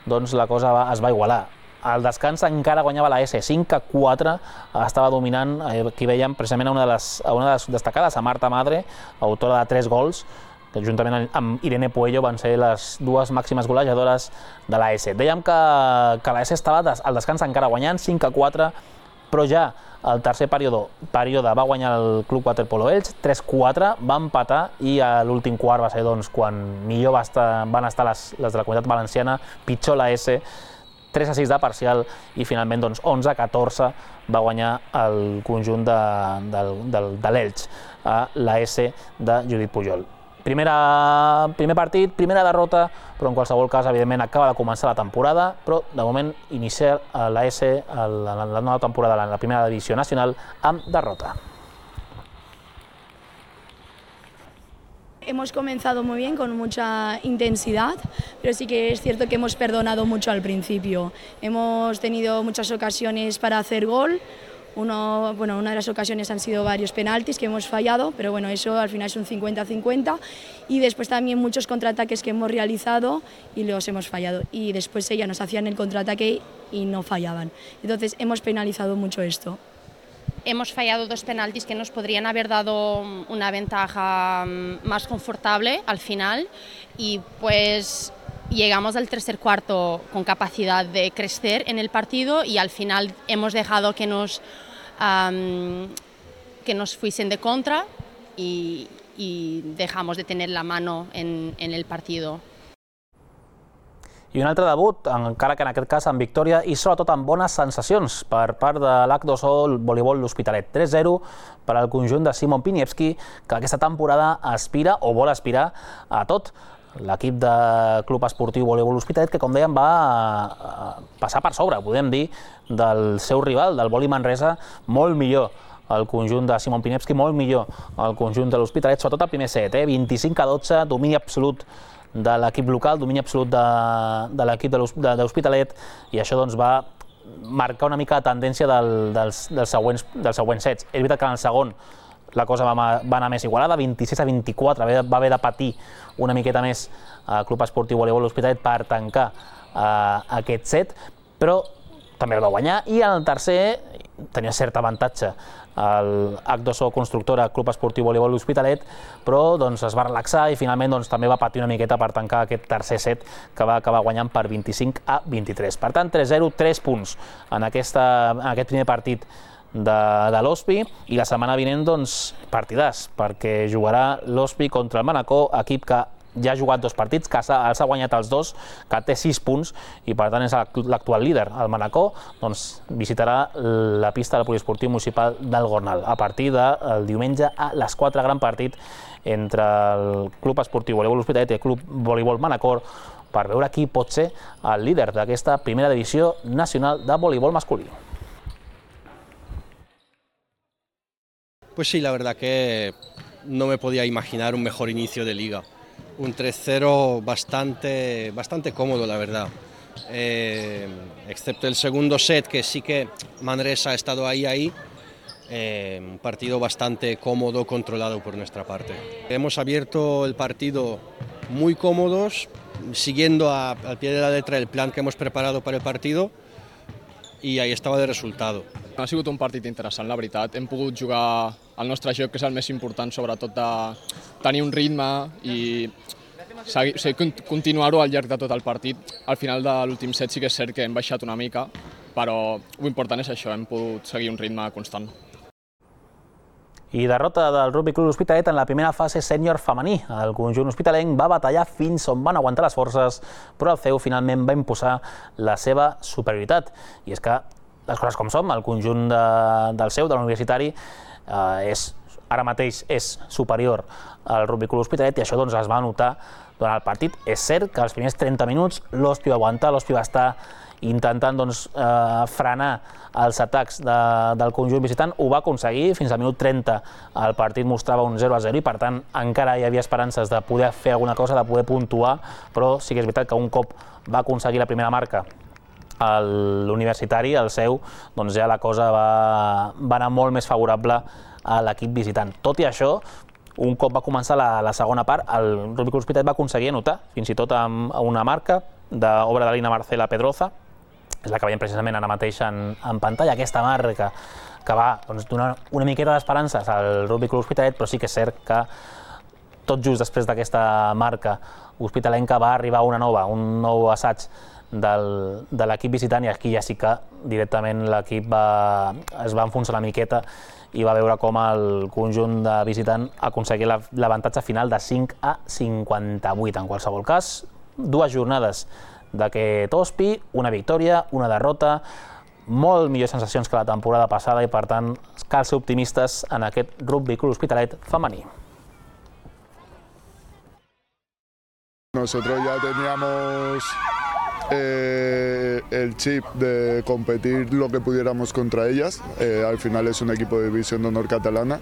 doncs la cosa es va igualar. Al descans encara guanyava la S, 5-4, estava dominant, aquí veiem precisament a una de les destacades, a Marta Madre, autora de 3 gols, que juntament amb Irene Puello van ser les dues màximes golejadores de la S. Dèiem que la S estava al descans encara guanyant, 5-4, però ja al tercer període va guanyar el Club Waterpolo Elx, 3-4, va empatar i a l'últim quart va ser quan millor van estar les de la Comunitat Valenciana, pitjor la S, 3-6 de parcial i finalment 11-14 va guanyar el conjunt de l'Elx a la S de Judit Pujol. Primer partit, primera derrota, però en qualsevol cas, evidentment, acaba de començar la temporada, però de moment inicia la S la nova temporada en la primera divisió nacional amb derrota. Hemos comenzado muy bien, con mucha intensidad, pero sí que es cierto que hemos perdonado mucho al principio. Hemos tenido muchas ocasiones para hacer gol, Una de las ocasiones han sido varios penaltis que hemos fallado, pero bueno, eso al final es un 50-50, y después también muchos contraataques que hemos realizado y los hemos fallado, y después ellas nos hacían el contraataque y no fallaban. Entonces hemos penalizado mucho esto. Hemos fallado 2 penaltis que nos podrían haber dado una ventaja más confortable al final, y pues llegamos al tercer cuarto con capacidad de crecer en el partido, y al final hemos dejado que nos fuesen de contra y dejamos de tener la mano en el partido. I un altre debut, encara que en aquest cas amb victòria i sobretot amb bones sensacions per part de l'H2O Voleibol L'Hospitalet. 3-0 per al conjunt de Simon Piniewski, que aquesta temporada aspira o vol aspirar a tot. L'equip de Club Esportiu Voleibol L'Hospitalet, que com dèiem va passar per sobre, podem dir, del seu rival, del Voli Manresa, molt millor el conjunt de Simon Piniewski, molt millor el conjunt de l'Hospitalet, sobretot el primer set, 25-12, domini absolut de l'equip local, domini absolut de l'equip de l'Hospitalet, i això va marcar una mica la tendència dels següents sets. És veritat que en el segon la cosa va anar més igualada, 26-24, va haver de patir una miqueta més el Club Esportiu Voleibol L'Hospitalet per tancar aquest set, però també el va guanyar, i en el tercer tenia cert avantatge el H2O Constructora Club Esportiu Voleibol L'Hospitalet, però es va relaxar i finalment també va patir una miqueta per tancar aquest tercer set, que va acabar guanyant per 25-23. Per tant, 3-0, 3 punts en aquest primer partit de l'Hospi, i la setmana vinent partidàs, perquè jugarà l'Hospi contra el Manacor, equip que ja ha jugat 2 partits, que els ha guanyat els 2, que té 6 punts, i per tant és l'actual líder. El Manacor visitarà la pista del Poliesportiu Municipal del Gornal a partir del diumenge a les 4, gran partit entre el Club Esportiu Voleibol L'Hospitalet i el Club Voleibol Manacor, per veure qui pot ser el líder d'aquesta primera divisió nacional de voleibol masculí. Pues sí, la verdad que no me podía imaginar un mejor inicio de liga. Un 3-0 bastante cómodo, la verdad. Excepto el segundo set, que sí que Manresa ha estado ahí. Un partido bastante cómodo, controlado por nuestra parte. Hemos abierto el partido muy cómodos, siguiendo al pie de la letra el plan que hemos preparado para el partido, i ahí estava el resultat. Ha sigut un partit interessant, la veritat. Hem pogut jugar el nostre joc, que és el més important, sobretot de tenir un ritme i continuar-ho al llarg de tot el partit. Al final de l'últim set sí que és cert que hem baixat una mica, però l'important és això, hem pogut seguir un ritme constant. I derrota del Rugby Club L'Hospitalet en la primera fase sènior femení. El conjunt hospitalenc va batallar fins on van aguantar les forces, però el CEU finalment va imposar la seva superioritat. I és que les coses com són, el conjunt del CEU, de l'universitari, ara mateix és superior al Rugby Club L'Hospitalet, i això es va notar durant el partit. És cert que els primers 30 minuts l'Hospi va aguantar, l'Hospi va estar intentant frenar els atacs del conjunt visitant. Ho va aconseguir, fins al minut 30 el partit mostrava un 0-0 i per tant encara hi havia esperances de poder fer alguna cosa, de poder puntuar, però sí que és veritat que un cop va aconseguir la primera marca l'universitari, el CEU, ja la cosa va anar molt més favorable a l'equip visitant. Tot i això, un cop va començar la segona part, el Rugby Club L'Hospitalet va aconseguir anotar, fins i tot amb una marca d'obra de Lina Marcela Pedroza, és la que veiem precisament ara mateix en pantalla, aquesta marca que va donar una miqueta d'esperances al Rugby Club L'Hospitalet, però sí que és cert que tot just després d'aquesta marca hospitalenca va arribar una nova, un nou assaig de l'equip visitant, i aquí ja sí que directament l'equip es va enfonsar una miqueta i va veure com el conjunt de visitant aconseguia l'avantatge final de 5-58. En qualsevol cas, 2 jornades d'aquest Hospi, una victòria, una derrota, molt millors sensacions que la temporada passada, i per tant cal ser optimistes en aquest Rugby Club L'Hospitalet femení. Nosotros ya teníamos el chip de competir lo que pudiéramos contra ellas. Al final es un equipo de división de honor catalana.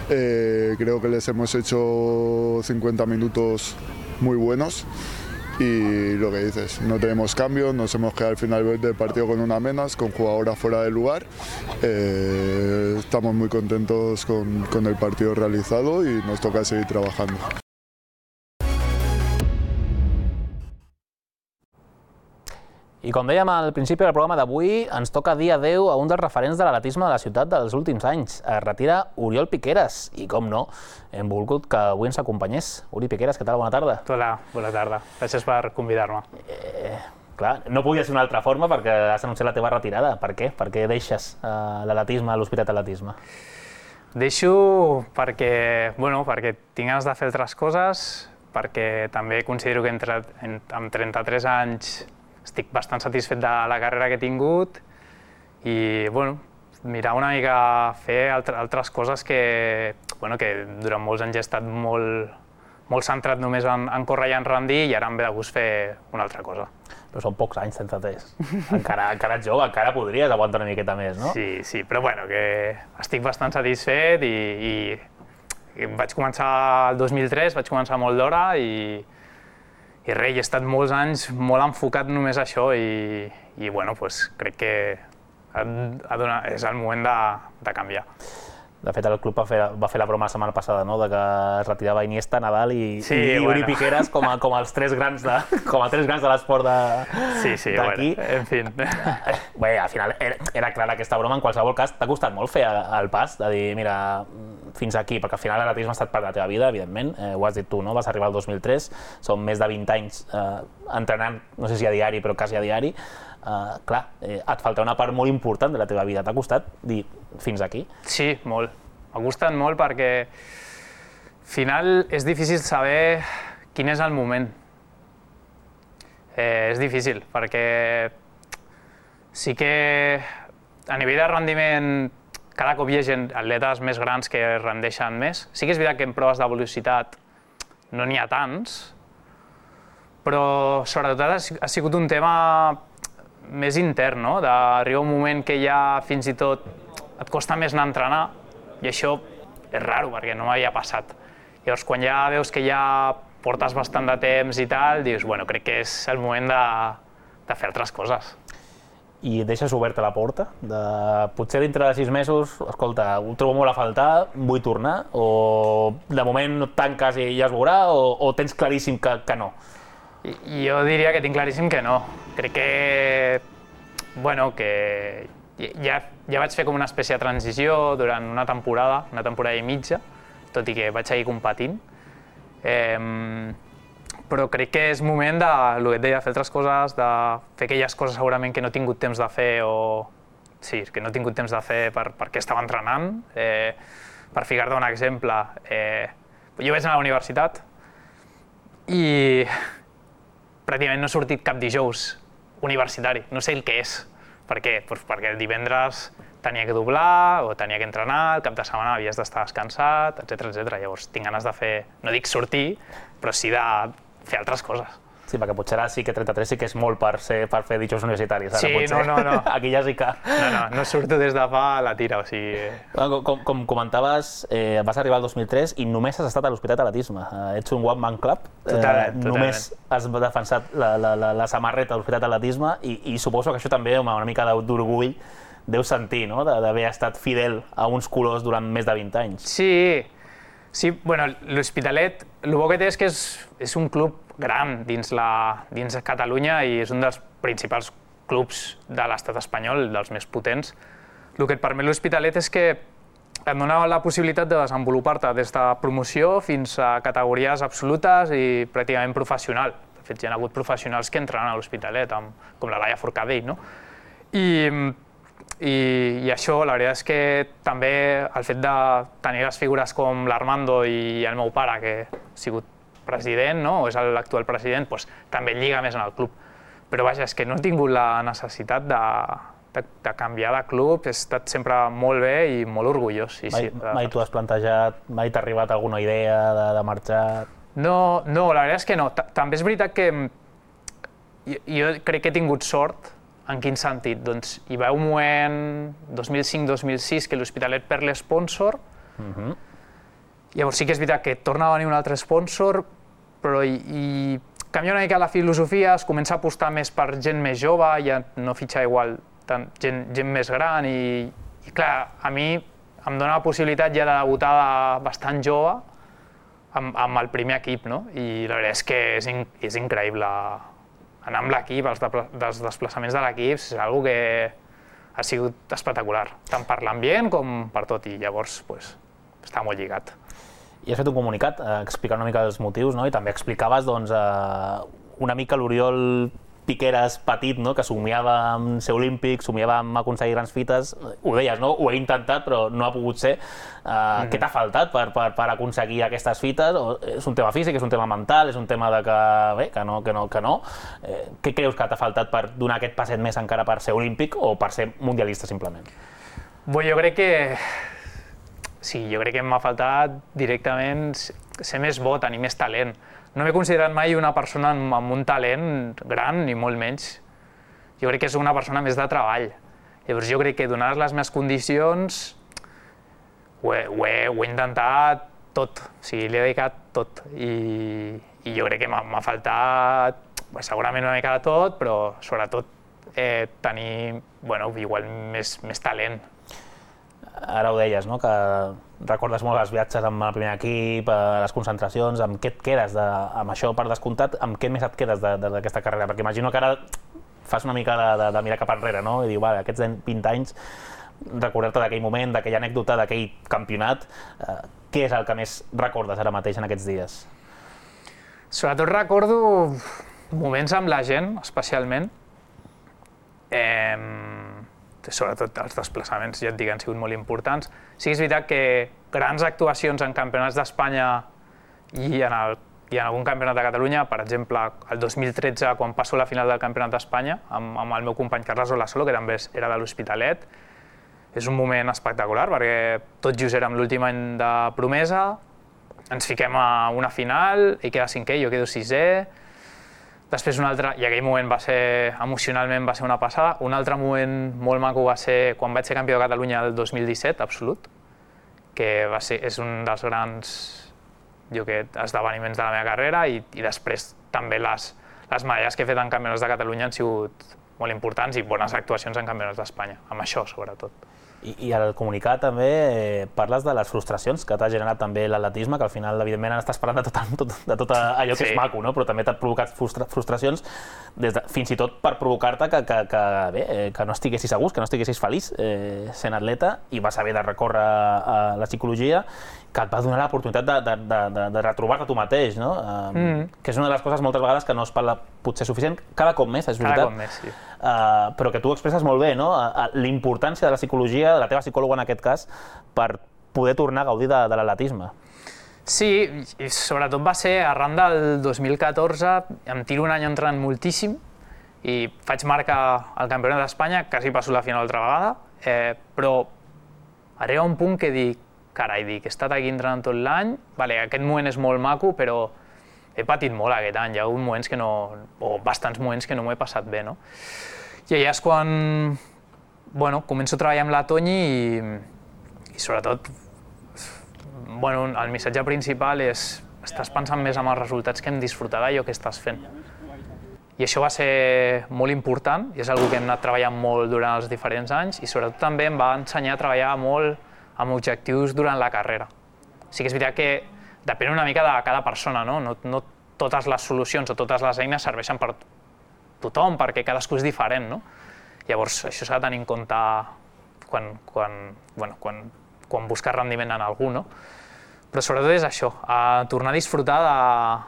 Creo que les hemos hecho 50 minutos muy buenos. y lo que dices, no tenemos cambios, nos hemos quedado al final del partido con una menos, con jugadoras fuera del lugar. Estamos muy contentos con el partido realizado y nos toca seguir trabajando. I com dèiem al principi del programa d'avui, ens toca dir adeu a un dels referents de l'atletisme de la ciutat dels últims anys. Es retira Oriol Piqueras i, com no, hem volgut que avui ens acompanyés. Uri Piqueras, què tal? Bona tarda. Hola, bona tarda. Gràcies per convidar-me. Clar, no podia ser d'una altra forma perquè has anunciat la teva retirada. Per què? Per què deixes l'atletisme, l'Hospitalet Atletisme? Deixo perquè tinc ganes de fer altres coses, perquè també considero que amb 33 anys estic bastant satisfet de la carrera que he tingut i mirar una mica fer altres coses que durant molts anys he estat molt centrat només en córrer i en rendir i ara em ve de gust fer una altra cosa. Però són pocs anys, 33. Encara ets jove, encara podries aguantar una miqueta més, no? Sí, però que estic bastant satisfet i vaig començar el 2003, vaig començar molt d'hora i res, he estat molts anys molt enfocat només a això i crec que és el moment de canviar. De fet, el club va fer la broma la setmana passada, no?, de que es retirava Iniesta, Nadal i Uri Piqueras com els tres grans de l'esport d'aquí. Sí, en fi. Bé, al final era clara aquesta broma. En qualsevol cas, t'ha costat molt fer el pas de dir, mira, fins aquí, perquè al final l'atletisme ha estat part de la teva vida, evidentment, ho has dit tu, no? Vas arribar el 2003, són més de 20 anys entrenant, no sé si a diari, però quasi a diari. Clar, et falta una part molt important de la teva vida. T'ha costat dir fins aquí? Sí, molt. M'ha costat molt perquè al final és difícil saber quin és el moment. És difícil perquè sí que a nivell de rendiment cada cop hi ha atletes més grans que rendeixen més. Sí que és veritat que en proves de velocitat no n'hi ha tants, però sobretot ha sigut un tema més intern, no? D'arribar un moment que ja fins i tot et costa més anar a entrenar i això és raro perquè no m'havia passat. Llavors, quan ja veus que ja portes bastant de temps i tal, dius, crec que és el moment de fer altres coses. I deixes oberta la porta? Potser dintre de 6 mesos, escolta, ho trobo molt a faltar, vull tornar? O de moment no et tanques i ja es veurà? O tens claríssim que no? Jo diria que tinc claríssim que no. Crec que ja vaig fer com una espècie de transició durant una temporada i mitja, tot i que vaig seguir competint. Però crec que és moment el que et deia, fer altres coses, de fer aquelles coses segurament que no he tingut temps de fer que no he tingut temps de fer perquè estava entrenant. Per ficar-te un exemple, jo vaig anar a la universitat i pràcticament no he sortit cap dijous universitari, no sé el que és. Per què? Perquè el divendres tenia que doblar o tenia que entrenar, el cap de setmana havies d'estar descansat, etc. Llavors tinc ganes de fer, no dic sortir, però sí de fer altres coses. Sí, perquè potser ara sí que 33 sí que és molt per fer dijous universitaris. Sí, no. Aquí ja sí que... No surto des de fa la tira, o sigui... Com comentaves, vas arribar al 2003 i només has estat a l'Hospitalet Atletisme. Ets un one-man club. Totalment. Només has defensat la samarreta de l'Hospitalet Atletisme i suposo que això també una mica d'orgull deu sentir, no?, d'haver estat fidel a uns colors durant més de 20 anys. Sí, l'Hospitalet, el bo que té és que és un club gran dins Catalunya i és un dels principals clubs de l'estat espanyol, dels més potents. El que et permet l'Hospitalet és que et dona la possibilitat de desenvolupar-te des de promoció fins a categories absolutes i pràcticament professional. De fet, hi ha hagut professionals que entrenen a l'Hospitalet, com la Laia Forcadell, no? I això, la veritat és que també el fet de tenir les figures com l'Armando i el meu pare, que ha sigut president, no?, o és l'actual president, també lliga més en el club. Però vaja, és que no he tingut la necessitat de canviar de club, he estat sempre molt bé i molt orgullós. Mai t'ho has plantejat? Mai t'ha arribat alguna idea de marxar? No, la veritat és que no. També és veritat que jo crec que he tingut sort. En quin sentit? Doncs hi va un moment, 2005-2006, que l'Hospitalet perd l'espònsor. Llavors sí que és veritat que torna a venir un altre espònsor, però canvia una mica la filosofia, es comença a apostar més per gent més jove, ja no fitxar igual gent més gran i clar, a mi em dona la possibilitat ja de debutar bastant jove amb el primer equip, no? I la veritat és que és increïble anar amb l'equip, els desplaçaments de l'equip, és una cosa que ha sigut espectacular, tant per l'ambient com per tot, i llavors està molt lligat. I has fet un comunicat explicant una mica els motius, no? I també explicaves una mica l'Oriol Piqueras petit, que somiava amb ser olímpic, somiava amb aconseguir grans fites. Ho deies, no? Ho he intentat, però no ha pogut ser. Què t'ha faltat per aconseguir aquestes fites? És un tema físic, és un tema mental, és un tema de que no? Què creus que t'ha faltat per donar aquest passet més encara per ser olímpic o per ser mundialista, simplement? Jo crec que m'ha faltat directament ser més bo, tenir més talent. No m'he considerat mai una persona amb un talent gran, ni molt menys. Jo crec que és una persona més de treball. Llavors jo crec que donades les meves condicions ho he intentat tot, o sigui, li he dedicat tot. I jo crec que m'ha faltat segurament una mica de tot, però sobretot tenir igual més talent. Ara ho deies, no? Que recordes molt els viatges amb el primer equip, les concentracions, amb què et quedes amb això per descomptat, amb què més et quedes d'aquesta carrera? Perquè imagino que ara fas una mica de mirar cap enrere, no? I diu, vale, aquests 20 anys, recordar-te d'aquell moment, d'aquella anècdota, d'aquell campionat, què és el que més recordes ara mateix en aquests dies? Sobretot recordo moments amb la gent, especialment. Sobretot els desplaçaments, ja et dic, han sigut molt importants. Sí que és veritat que grans actuacions en campionats d'Espanya i en algun campionat de Catalunya, per exemple, el 2013, quan passo la final del campionat d'Espanya, amb el meu company Carles Olasolo, que també era de l'Hospitalet, és un moment espectacular, perquè tot just érem l'últim any de promesa, ens fiquem a una final, ell queda 5è, jo quedo 6è, després un altre, i aquell moment emocionalment va ser una passada. Un altre moment molt maco va ser quan vaig ser campió de Catalunya el 2017, absolut, que és un dels grans esdeveniments de la meva carrera, i després també les medalles que he fet en campionats de Catalunya han sigut molt importants i bones actuacions en campionats d'Espanya, amb això sobretot. I al comunicat també parles de les frustracions que t'ha generat també l'atletisme, que al final evidentment estàs parlant de tot allò que és maco, però també t'ha provocat frustracions, fins i tot per provocar-te que no estiguessis a gust, que no estiguessis feliç sent atleta, i vas haver de recórrer a la psicologia, que et va donar l'oportunitat de retrobar-te tu mateix, que és una de les coses moltes vegades que no es parla potser suficient, cada cop més, és veritat. Cada cop més, sí. Però que tu expresses molt bé, l'importància de la psicologia, de la teva psicòloga en aquest cas, per poder tornar a gaudir de l'atletisme. Sí, i sobretot va ser arran del 2014, em tiro un any entrenant moltíssim i faig marca al Campionat d'Espanya, quasi passo la final altra vegada, però arriba un punt que dic, carai, he estat aquí entrenant tot l'any, aquest moment és molt maco, però he patit molt aquest any, hi ha hagut moments que no, o bastants moments que no m'ho he passat bé, no? I allà és quan, començo a treballar amb la Toñi i sobretot, el missatge principal és estàs pensant més en els resultats que en disfrutar d'allò que estàs fent. I això va ser molt important, i és una cosa que hem anat treballant molt durant els diferents anys, i sobretot també em va ensenyar a treballar molt amb objectius durant la carrera. Sí que és veritat que depèn una mica de cada persona, no totes les solucions o totes les eines serveixen per tothom, perquè cadascú és diferent, no? Llavors, això s'ha de tenir en compte quan busques rendiment en algú, no? Però sobretot és això, tornar a disfrutar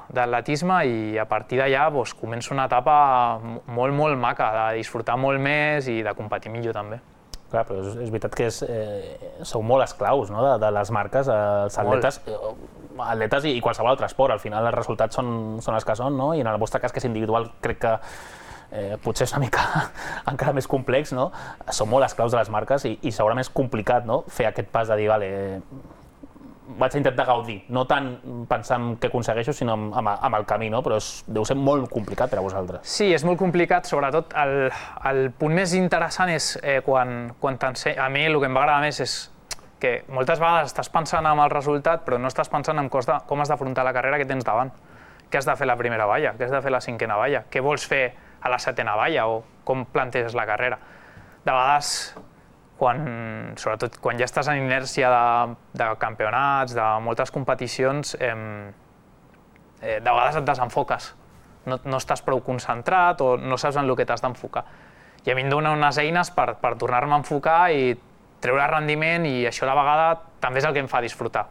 de l'atletisme, i a partir d'allà comença una etapa molt, molt maca, de disfrutar molt més i de competir millor també. Clar, però és veritat que sou molt esclaus de les marques, els atletes i qualsevol altre esport. Al final els resultats són els que són, i en el vostre cas, que és individual, crec que potser és una mica encara més complex, sou molt esclaus de les marques i segurament és complicat fer aquest pas de dir, vale, vaig a intentar gaudir, no tant pensar en què aconsegueixo, sinó amb el camí, però deu ser molt complicat per a vosaltres. Sí, és molt complicat, sobretot el punt més interessant és quan a mi el que em va agradar més és que moltes vegades estàs pensant en el resultat, però no estàs pensant en com has d'afrontar la carrera que tens davant. què has de fer a la primera valla, què has de fer a la cinquena valla, què vols fer a la setena valla o com planteges la carrera. De vegades, sobretot quan ja estàs en inèrcia de campionats, de moltes competicions, de vegades et desenfoques. No estàs prou concentrat o no saps en el que t'has d'enfocar. I a mi em dona unes eines per tornar-me a enfocar i treure rendiment, i això a la vegada també és el que em fa disfrutar.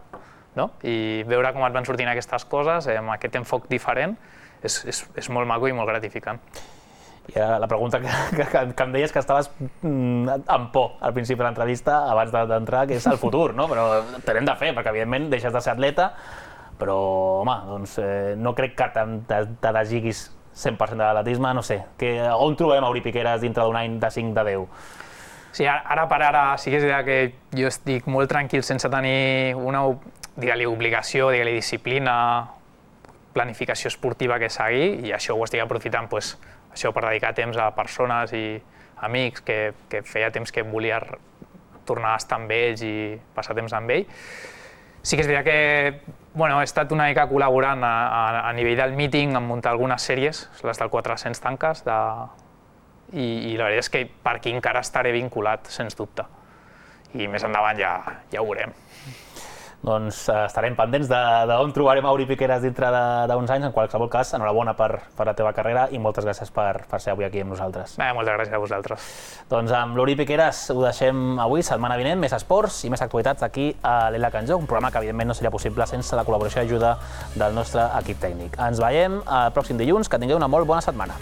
I veure com et van sortint aquestes coses, amb aquest enfoc diferent, és molt maco i molt gratificant. I la pregunta que em deies que estaves amb por al principi de l'entrevista, abans d'entrar, que és el futur, però t'hem de fer, perquè evidentment deixes de ser atleta, però, home, doncs no crec que te desiguis 100% de l'atletisme, no sé. On trobem Mauri Piqueras dintre d'un any de 5 de 10? Sí, ara per ara sí que és veritat que jo estic molt tranquil sense tenir una, digue-li, obligació, digue-li, disciplina, planificació esportiva que seguir, i això ho estic aprofitant això per dedicar temps a persones i amics que feia temps que volia tornar a estar amb ells i passar temps amb ells. Sí que és veritat que he estat una mica col·laborant a nivell del míting en muntar algunes sèries, les del 400 tanques, i la veritat és que per aquí encara estaré vinculat, sens dubte. I més endavant ja ho veurem. Doncs estarem pendents d'on trobarem Mauri Piqueras dintre d'uns anys. En qualsevol cas, enhorabona per la teva carrera i moltes gràcies per ser avui aquí amb nosaltres. Moltes gràcies a vosaltres. Doncs amb Mauri Piqueras ho deixem avui. Setmana vinent, més esports i més actualitats aquí a l'Ela Can Jo, un programa que evidentment no seria possible sense la col·laboració i ajuda del nostre equip tècnic. Ens veiem el pròxim dilluns. Que tingueu una molt bona setmana.